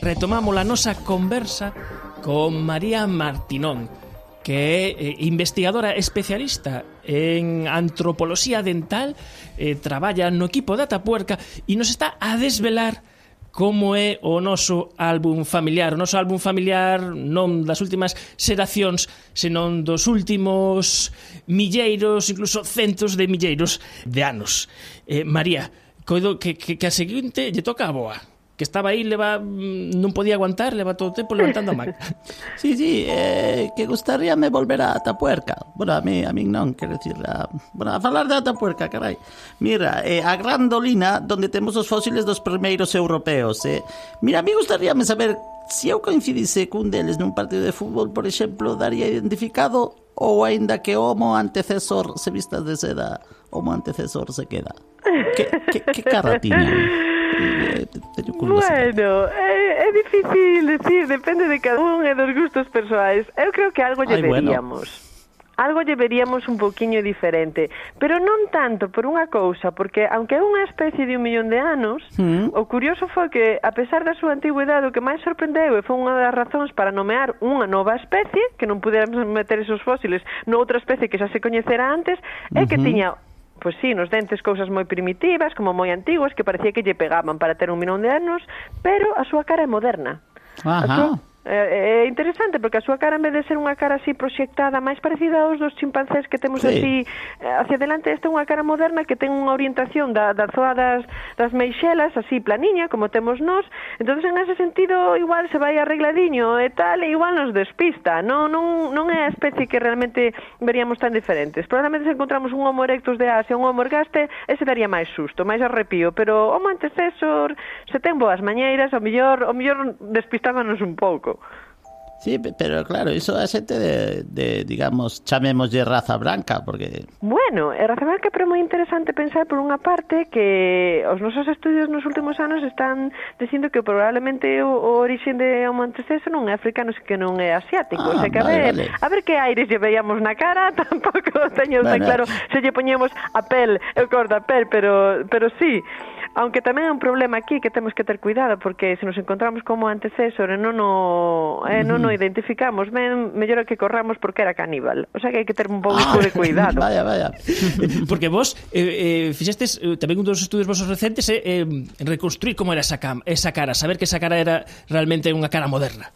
Retomamos a nosa conversa con María Martinón, que é investigadora especialista en antropoloxía dental, traballa no equipo da Atapuerca e nos está a desvelar como é o noso álbum familiar. O noso álbum familiar non das últimas xeracións, senón dos últimos milleiros, incluso centos de milleiros de anos. María, coido que a seguinte lle toca a boa, que estaba aí, non podía aguantar, leva todo o tempo levantando a man. Sí, que gustaríame volver a Atapuerca. Bueno, a mí non, quero dicir, a falar de Atapuerca, carai. Mira, a Gran Dolina, donde temos os fósiles dos primeiros europeos. Mira, a mí gustaríame saber se eu coincidise cun deles nun partido de fútbol, por exemplo, daría identificado, ou aínda que o homo antecesor se vistas de seda, homo antecesor se queda. Que cara tiñan? Bueno, é difícil decir, depende de cada un e dos gustos persoais. Eu creo que algo lle veríamos. Algo lle veríamos un poquinho diferente, pero non tanto por unha cousa, porque aunque é unha especie de 1 millón de anos, o curioso foi que, a pesar da súa antigüidade, o que máis sorprendeu e foi unha das razóns para nomear unha nova especie, que non puderamos meter esos fósiles noutra especie que xa se coñecera antes, é que tiña, pois sí, nos dentes cousas moi primitivas, como moi antiguas, que parecía que lle pegaban para ter 1 millón de anos, pero a súa cara é moderna. É interesante porque a súa cara, en vez de ser unha cara así proxectada, máis parecida aos dos chimpancés que temos así hacia adelante, esta é unha cara moderna que ten unha orientación da zoa das meixelas así planiña, como temos nós. Entonces, en ese sentido, igual se vai arregladiño e tal, e igual nos despista. Non é a especie que realmente veríamos tan diferentes. Probablemente se encontramos un Homo erectus de Asia, un Homo ergaste, ese daría máis susto, máis arrepío, pero Homo antecesor, se ten boas mañeiras, o mellor despistábanos un pouco. Sí, pero claro, iso é xente de digamos, chamémoslle raza branca, porque... Bueno, raza branca, pero moi interesante pensar por unha parte que os nosos estudios nos últimos anos están dicindo que probablemente o origen de Homo antecesor non é africano, que non é asiático. O sea que a ver que aires lle veíamos na cara, tampouco teño tan claro se lle poñemos a pel, eu corto a pel, pero sí. Aunque tamén é un problema aquí que temos que ter cuidado, porque se nos encontramos como antecesor e non o identificamos ben, mellor é que corramos porque era caníbal. O sea que hai que ter un pouco de cuidado. Vaya. Porque vos fixestes tamén un dos estudios vosos recentes reconstruir como era esa cara, saber que esa cara era realmente unha cara moderna.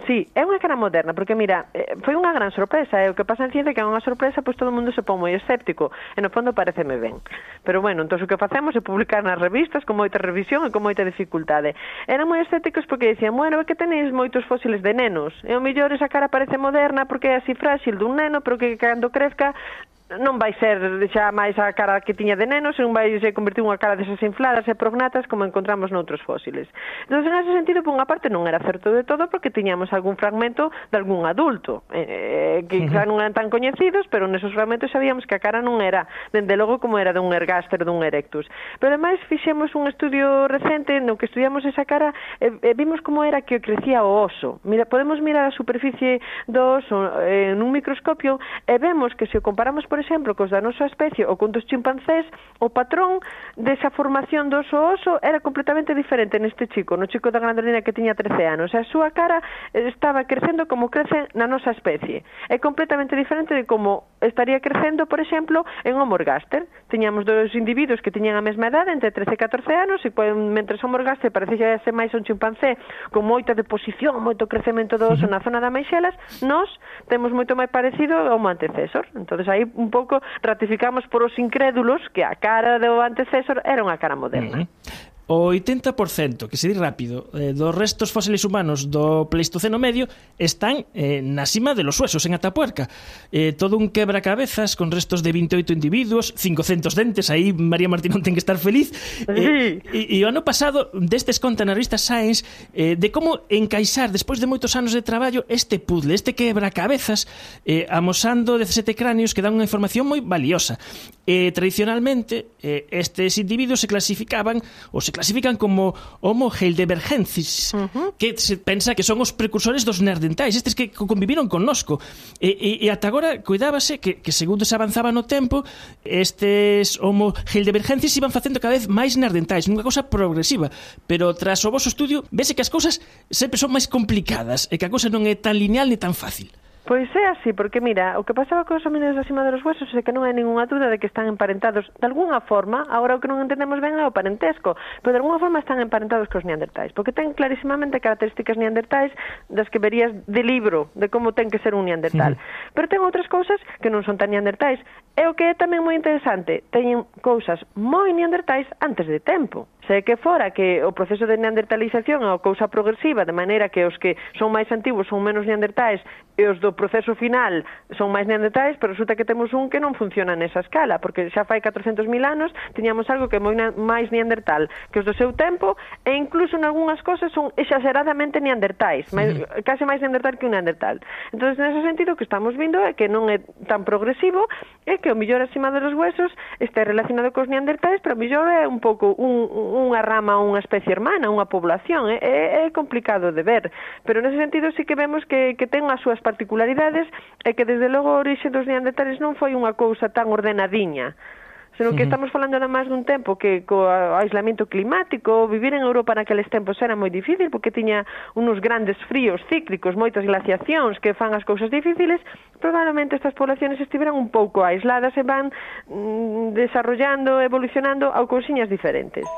Sí, é unha cara moderna, porque mira, foi unha gran sorpresa, o que pasa en ciencia que é unha sorpresa, pois todo o mundo se pon moi escéptico, e no fondo pareceme ben. Pero bueno, entón o que facemos é publicar nas revistas con moita revisión e con moita dificultade. Eran moi escépticos porque dicían, bueno, é que tenéis moitos fósiles de nenos, e o mellor esa cara parece moderna porque é así frágil dun neno, pero que cando crezca non vai ser xa máis a cara que tiña de neno, senón vai se convertir unha cara desas infladas e prognatas como encontramos noutros fósiles. Entón, en ese sentido, por unha parte non era certo de todo porque tiñamos algún fragmento de algún adulto que xa non eran tan coñecidos, pero nesos fragmentos sabíamos que a cara non era, dende logo, como era dun ergáster, dun erectus. Pero ademais fixemos un estudio recente no que estudiamos esa cara e vimos como era que crecía o oso. Mira, podemos mirar a superficie do oso nun microscopio e vemos que se o comparamos, por exemplo, cos da nosa especie ou con dos chimpancés, o patrón desa formación do oso era completamente diferente neste chico, no chico da grandolina que tiña 13 anos. A súa cara estaba crecendo como crece na nosa especie. É completamente diferente de como estaría crecendo, por exemplo, en Homo ergaster. Tiñamos dos individuos que tiñan a mesma edade, entre 13 e 14 anos, e mentre Homo ergaster parecía ser máis un chimpancé con moita deposición, moito crecemento do oso na zona da meixelas, nós temos moito máis parecido ao Homo antecesor. Entonces aí un pouco ratificamos por os incrédulos que a cara do antecesor era unha cara moderna. O 80%, que se di rápido, dos restos fósiles humanos do Pleistoceno medio están na cima de los huesos, en Atapuerca. Todo un quebracabezas con restos de 28 individuos, 500 dentes, aí María Martínez ten que estar feliz. E o ano pasado, destes conta na revista Science de como encaixar, despois de moitos anos de traballo, este puzzle, este quebracabezas, amosando 17 cráneos que dan unha información moi valiosa. Tradicionalmente, estes individuos se clasificaban ou se clasifican como Homo heidelbergensis, que se pensa que son os precursores dos neandertais, estes que conviviron connosco. E ata agora cuidábase que segundo se avanzaba no tempo, estes Homo heidelbergensis iban facendo cada vez máis neandertais, unha cousa progresiva. Pero tras o vosso estudio, vese que as cousas sempre son máis complicadas e que a cousa non é tan lineal ni tan fácil. Pois é así, porque mira, o que pasaba cos homínidos da cima dos huesos é que non hai ninguna dúda de que están emparentados de alguna forma. Agora o que non entendemos ben é o parentesco, pero de alguna forma están emparentados cos neandertais, porque ten clarísimamente características neandertais das que verías de libro de como ten que ser un neandertal. Pero ten outras cousas que non son tan neandertais, e o que é tamén moi interesante, teñen cousas moi neandertais antes de tempo. Se que fora que o proceso de neandertalización é unha cousa progresiva, de maneira que os que son máis antigos son menos neandertais e os do proceso final son máis neandertais, pero resulta que temos un que non funciona nesa escala, porque xa fai 400.000 anos tiñamos algo que é moi máis neandertal que os do seu tempo, e incluso en algunhas cosas son exageradamente neandertais, case máis neandertal que un neandertal. Entón, nese sentido, o que estamos vindo é que non é tan progresivo, é que o millor acima dos huesos está relacionado cos neandertais, pero o millor é un pouco unha rama, unha especie hermana, unha población. É complicado de ver, pero nese sentido sí que vemos que ten as súas particularidades e que desde logo a orixe dos neandertales non foi unha cousa tan ordenadiña, senón que estamos falando además dun tempo que co aislamiento climático, vivir en Europa naqueles tempos era moi difícil porque tiña unos grandes fríos cíclicos, moitas glaciacións que fan as cousas difíciles. Probablemente estas poblaciones estiveran un pouco aisladas e van desarrollando, evolucionando a cousiñas diferentes.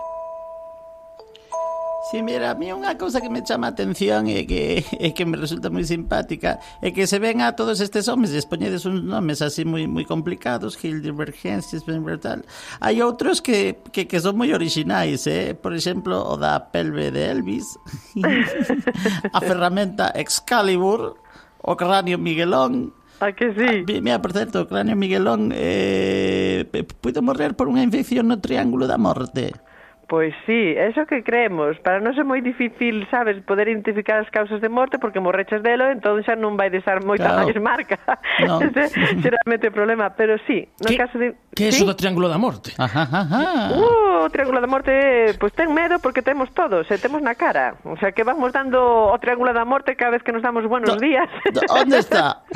Sí, mira, a mí unha cousa que me chama a atención e que me resulta moi simpática é que se ven a todos estes homes e expoñedes uns nomes así moi complicados, Heidelbergensis, tal. Hai outros que son moi orixinais, por exemplo, o da pelve de Elvis, a ferramenta Excalibur, o cráneo Miguelón. Ah, que sí? Mira, por certo, o cráneo Miguelón puido morrer por unha infección no Triángulo da Morte. Pois sí, eso que creemos. Para nós é moi difícil, sabes, poder identificar as causas de morte porque morreches delo, entón xa non vai deixar moita máis marca. No. Ese xeralmente o problema, pero sí, no caso de... Que é iso do Triángulo da Morte? O Triángulo da Morte, pois ten medo porque temos todos, temos na cara. O sea, que vamos dando o Triángulo da Morte cada vez que nos damos buenos días. Onde está?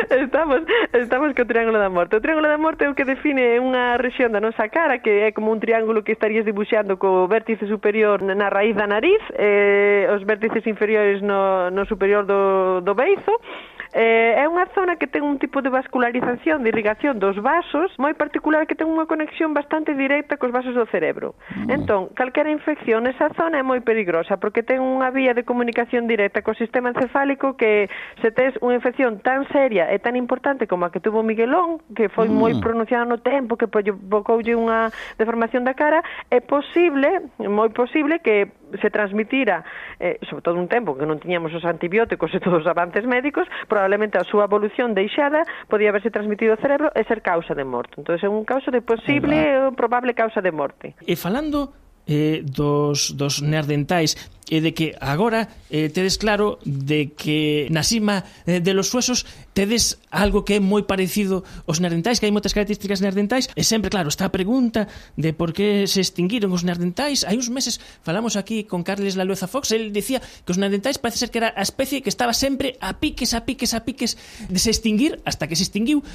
Estamos co Triángulo da Morte. O Triángulo da Morte é o que define unha rexión da nosa cara que é como un triángulo que estarías dibuixando co vértice superior na raíz da nariz, os vértices inferiores no superior do beizo. É unha zona que ten un tipo de vascularización, de irrigación dos vasos moi particular, que ten unha conexión bastante directa cos vasos do cerebro. Entón, calquera infección nesa zona é moi peligrosa porque ten unha vía de comunicación directa co sistema encefálico que se tes unha infección tan seria e tan importante como a que tuvo Miguelón, que foi moi pronunciada no tempo, que provocoulle unha deformación da cara, é posible, moi posible que se transmitira, sobre todo un tempo que non tiñamos os antibióticos e todos os avances médicos, probablemente a súa evolución deixada podía haberse transmitido ao cerebro e ser causa de morte. Entón é un caso de posible ou probable causa de morte. E falando dos neandertais e de que agora tedes claro de que na cima de los huesos tedes algo que é moi parecido aos neandertais, que hai moitas características neandertais, e sempre, claro, está a pregunta de por que se extinguiron os neandertais. Hai uns meses falamos aquí con Carles Lalueza Fox, el dicía que os neandertais parece ser que era a especie que estaba sempre a piques de se extinguir, hasta que se extinguiu.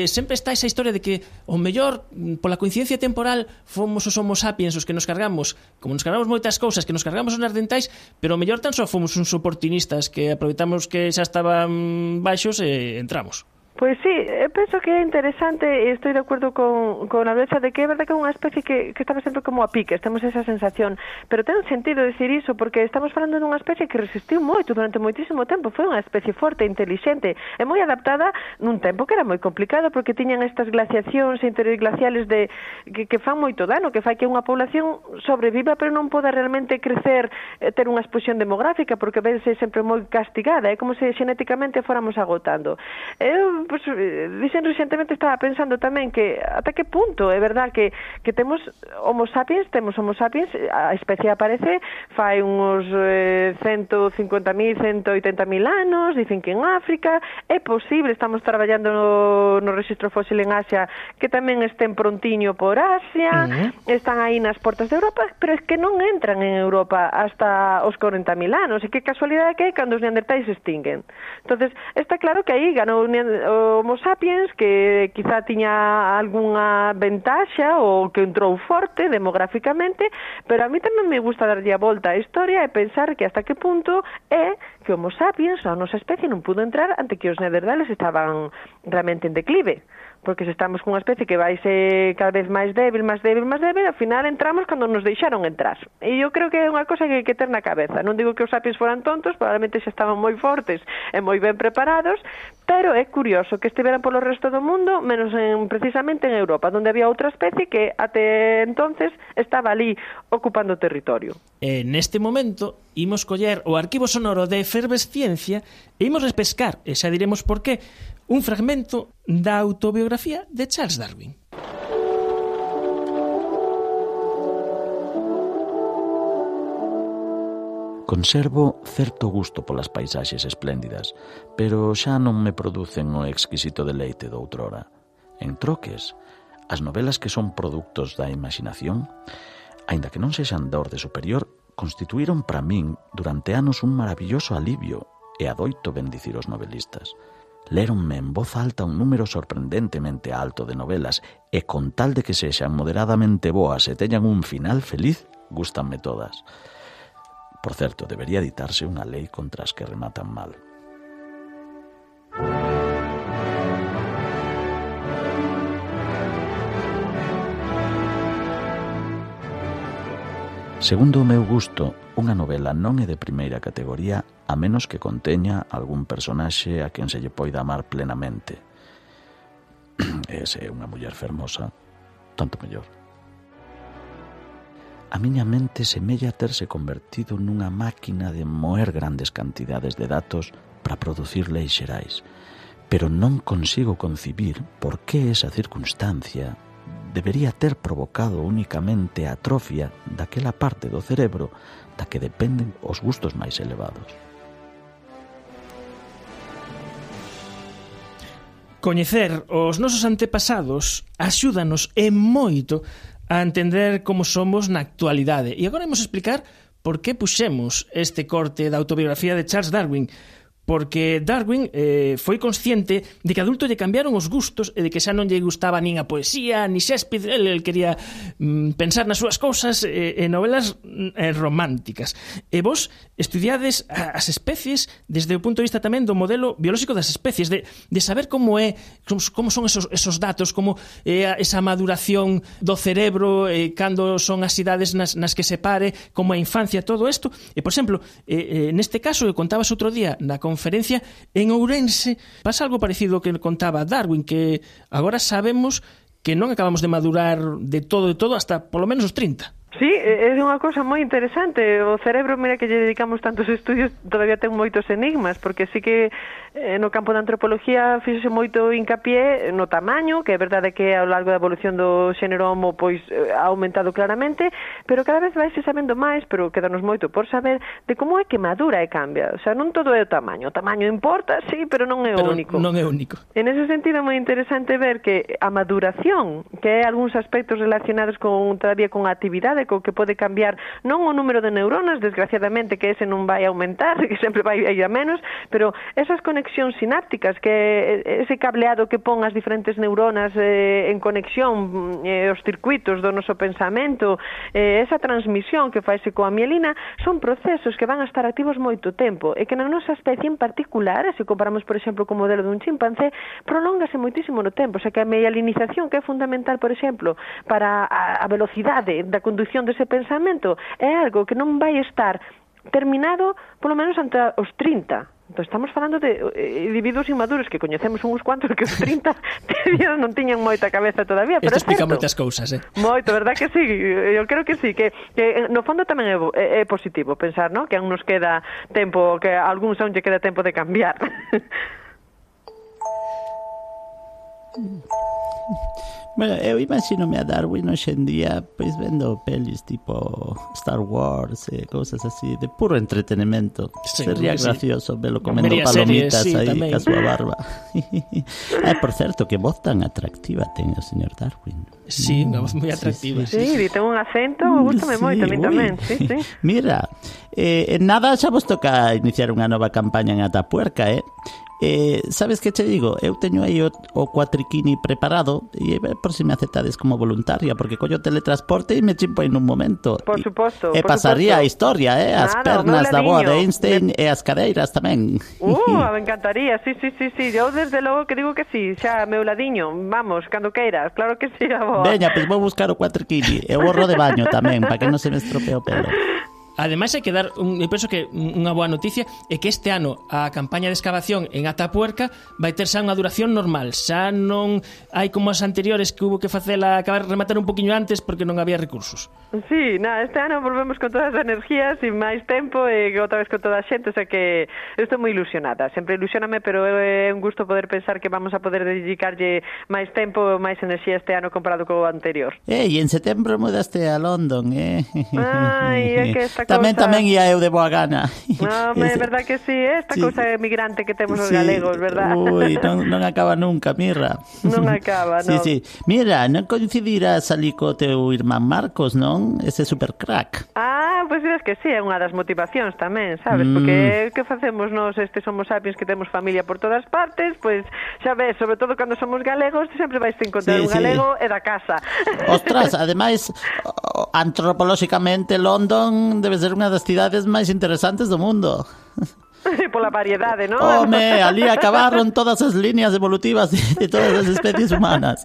Sempre está esa historia de que o mellor, pola coincidencia temporal, fomos os homo sapiens os que nos cargamos, como nos cargamos moitas cousas, que nos cargamos os neandertais, pero o mellor tan só fomos uns oportunistas que aproveitamos que xa estaban baixos e entramos. Pois sí, eu penso que é interesante e estou de acordo con a Lalueza de que é verdade que é unha especie que estaba sempre como a piques, temos esa sensación, pero ten sentido dicir iso porque estamos falando dunha especie que resistiu moito durante moitísimo tempo, foi unha especie forte, inteligente e moi adaptada nun tempo que era moi complicado porque tiñan estas glaciacións interglaciales que fan moito dano, que fai que unha población sobreviva pero non poda realmente crecer, ter unha explosión demográfica porque vense sempre moi castigada, é como se xenéticamente fóramos agotando. Pues, dicen recentemente, estaba pensando tamén que ata que punto é verdad que temos homo sapiens, a especie aparece fai uns 150.000, 180.000 anos, dicen que en África é posible, estamos traballando no registro fósil en Asia, que tamén estén prontiño por Asia, están aí nas portas de Europa, pero é que non entran en Europa hasta os 40.000 anos, e que casualidade que é cando os neandertais se extinguen. Entonces, está claro que aí ganou Homo sapiens, que quizá tiña algunha ventaxa ou que entrou forte demográficamente, pero a mí tamén me gusta darlle a volta á historia e pensar que hasta que punto é que Homo sapiens, a nosa especie, non pudo entrar ante que os neandertales estaban realmente en declive. Porque se estamos cunha especie que vai ser cada vez máis débil, ao final entramos cando nos deixaron entrar. E eu creo que é unha cosa que hai que ter na cabeza. Non digo que os sapiens foran tontos, probablemente xa estaban moi fortes e moi ben preparados, pero é curioso que estiveran polo resto do mundo, menos precisamente en Europa, onde había outra especie que até entonces estaba ali ocupando o territorio. Neste momento, imos coller o arquivo sonoro de Efervesciencia e imos repescar, e xa diremos por qué, un fragmento da autobiografía de Charles Darwin. Conservo certo gusto polas paisaxes espléndidas, pero xa non me producen o exquisito deleite doutrora. En troques, as novelas que son produtos da imaginación, aínda que non sexan da orde superior, constituíron para min durante anos un maravilloso alivio e adoito bendicir os novelistas. Léronme en voz alta un número sorprendentemente alto de novelas e con tal de que sexan moderadamente boas e teñan un final feliz, gústanme todas. Por certo, debería ditarse unha lei contra as que rematan mal. Segundo o meu gusto, unha novela non é de primeira categoría a menos que conteña algún personaxe a quen se lle poida amar plenamente. E se é unha muller fermosa, tanto mellor. A miña mente semella terse convertido nunha máquina de moer grandes cantidades de datos para producir leis xerais, pero non consigo concibir por que esa circunstancia debería ter provocado únicamente a atrofia daquela parte do cerebro da que dependen os gustos máis elevados. Coñecer os nosos antepasados axúdanos e moito a entender como somos na actualidade. E agora imos explicar por que puxemos este corte da autobiografía de Charles Darwin. Porque Darwin foi consciente de que adulto lle cambiaron os gustos e de que xa non lle gustaba nin a poesía, ni Shakespeare, el quería pensar nas súas cousas e novelas románticas. E vos estudiades as especies desde o punto de vista tamén do modelo biolóxico das especies, de saber como son esos datos, como esa maduración do cerebro, cando son as idades nas que se pare, como a infancia, todo isto. E, por exemplo, neste caso, que contabas outro día na conferencia en Ourense, pasa algo parecido que contaba Darwin, que agora sabemos que non acabamos de madurar de todo hasta polo menos os 30. Sí, é unha cousa moi interesante. O cerebro, mira que lle dedicamos tantos estudios, todavía ten moitos enigmas, porque sí que no campo da antropología fíxose moito hincapié no tamaño, que é verdade que ao largo da evolución do xénero Homo pois ha aumentado claramente, pero cada vez vai se sabendo máis, pero quedanos moito por saber de como é que madura e cambia. O sea, non todo é o tamaño. O tamaño importa, sí, pero non é o único. Non é único. En ese sentido é moi interesante ver que a maduración, que é algúns aspectos relacionados todavía con a actividade, co que pode cambiar non o número de neuronas, desgraciadamente que ese non vai aumentar, que sempre vai ir a menos, pero esas conexións sinápticas, que ese cableado que pon as diferentes neuronas en conexión, os circuitos do noso pensamento, esa transmisión que faise coa mielina, son procesos que van a estar activos moito tempo, e que na nosa especie en particular, se comparamos, por exemplo, co modelo dun chimpancé, prolóngase moitísimo no tempo, o sea que a mielinización, que é fundamental, por exemplo, para a velocidade da conducción dese pensamento, é algo que non vai estar terminado polo menos ante os 30. Entón, estamos falando de individuos inmaduros que coñecemos uns cuantos que os 30 non tiñan moita cabeza todavía, pero isto explica moitas cousas, Moito, verdad que sí? Eu creo que sí, que no fondo tamén é positivo pensar, ¿no? Que aún nos queda tempo, que a algúns aún lle queda tempo de cambiar. Bueno, eu imagino-me a Darwin hoxe en día pois vendo pelis tipo Star Wars e cousas así de puro entretenimento. Sería gracioso velo comendo palomitas aí ca súa barba. Por certo, que voz tan atractiva ten o señor Darwin. Sí, unha voz moi atractiva. Sí, ten un acento, gústame moito, a mí tamén. Sí. Mira, en nada xa vos toca iniciar unha nova campaña en Atapuerca, sabes que te digo? Eu teño aí o cuatriquini preparado e por si me aceptades como voluntaria, porque collo teletransporte e me chimpo en un momento. Por suposto. E pasaría a historia, as pernas da boa de Einstein e as cadeiras tamén. Me encantaría, sí. Eu desde logo que digo que sí, xa meu ladiño, vamos, cando queiras, claro que sí, a boa. Veña, pois vou buscar o cuatriquini e o borro de baño tamén, para que non se me estropee o pelo. Ademais, hai que dar, eu penso que unha boa noticia é que este ano a campaña de excavación en Atapuerca vai ter xa unha duración normal, xa non hai como as anteriores que hubo que facela acabar rematar un poquinho antes porque non había recursos. Sí, este ano volvemos con todas as energías e máis tempo e outra vez con toda a xente, o sea que estou moi ilusionada, sempre ilusioname, pero é un gusto poder pensar que vamos a poder dedicarlle máis tempo, máis enerxía este ano comparado co anterior. E en setembro mudaste a London, Ai, é que esta Tamén ia eu de boa gana. É verdad que sí, esta cousa emigrante que temos os galegos, verdad? Ui, non acaba nunca, Mirra. Non acaba, non. Sí. Mira, non coincidirás ali co teu irmán Marcos, non? Ese super crack. Pois dirás que sí, é unha das motivacións tamén, sabes? Porque que facemos nós, somos sapiens que temos familia por todas partes, pois xa ves, sobre todo cando somos galegos, sempre vais te encontrar un galego e da casa. Ostras, ademais, antropolóxicamente London debe ser unha das cidades máis interesantes do mundo. Pola variedade, non? Home, ali acabaron todas as líneas evolutivas de todas as especies humanas.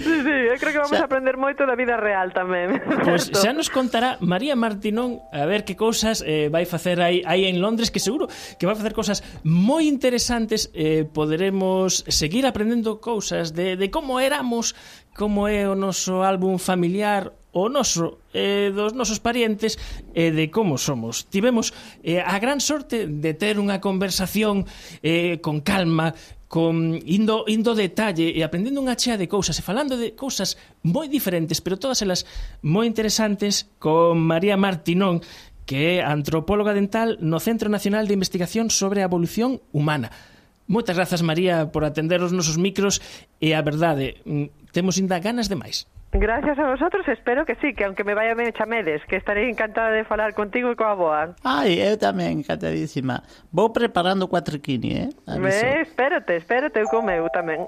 Sí, eu creo que vamos a aprender moito da vida real tamén. Pois xa nos contará María Martinón a ver que cousas vai facer aí en Londres, que seguro que vai facer cousas moi interesantes. Poderemos seguir aprendendo cousas de como éramos, como é o noso álbum familiar, o noso, dos nosos parientes, e de como somos. Tivemos a gran sorte de ter unha conversación con calma, indo detalle e aprendendo unha chea de cousas e falando de cousas moi diferentes, pero todas elas moi interesantes, con María Martinón, que é antropóloga dental no Centro Nacional de Investigación sobre a Evolución Humana. Moitas grazas, María, por atender os nosos micros, e a verdade, temos ainda ganas de máis. Gracias a vosotros, espero que sí, que aunque me vaya ben chamedes, que estarei encantada de falar contigo e coa boa. Ai, eu tamén, encantadísima. Vou preparando o cuatriquini, Espérate, eu comeu tamén.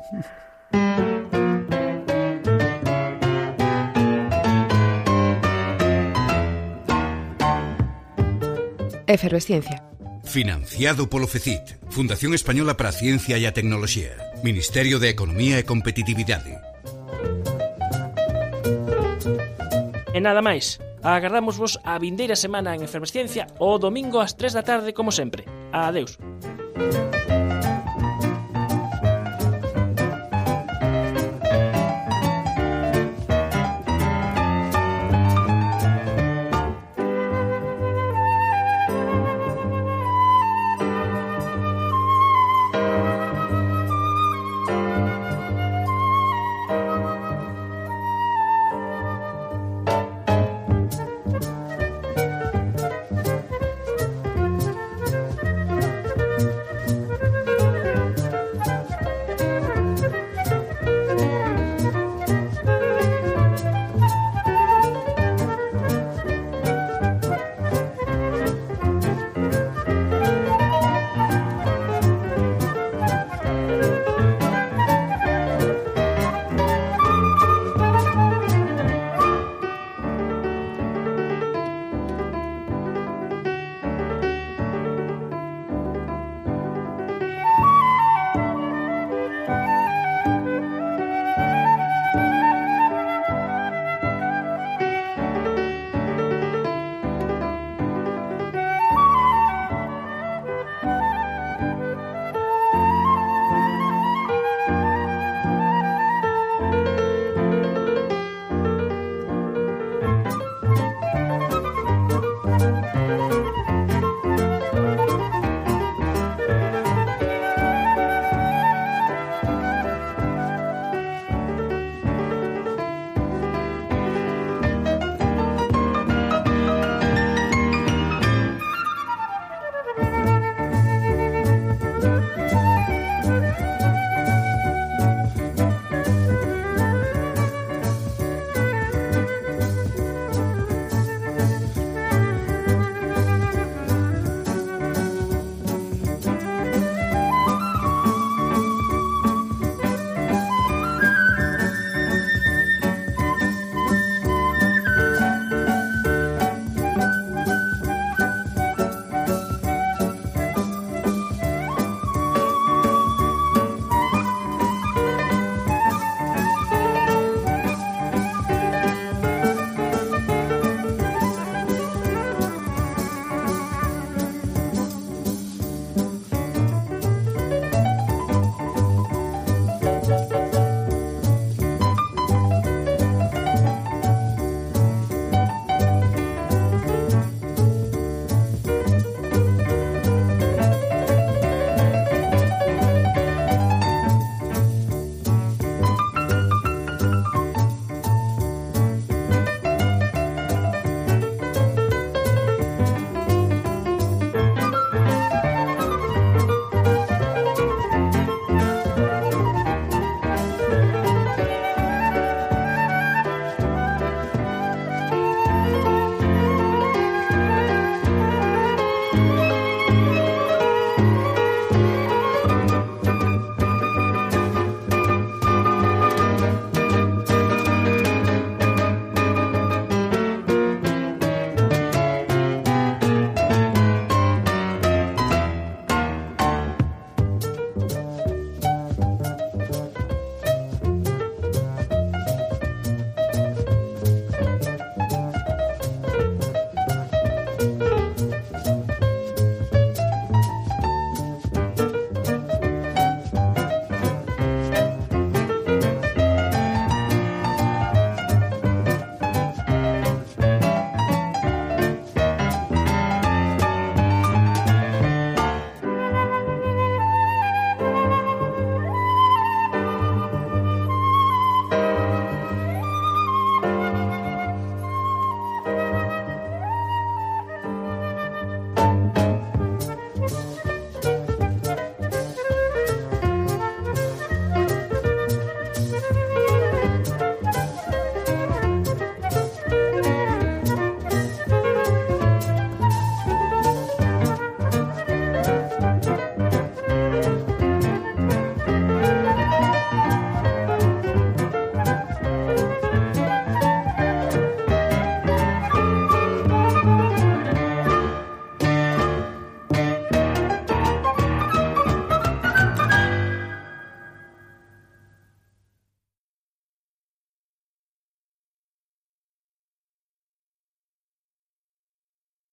Efervesciencia. Financiado polo FECIT, Fundación Española para a Ciencia e a Tecnoloxía, Ministerio de Economía e Competitividade. E nada máis, agardamos vos a vindeira semana en Efervesciencia o domingo ás 3 da tarde como sempre. Adeus.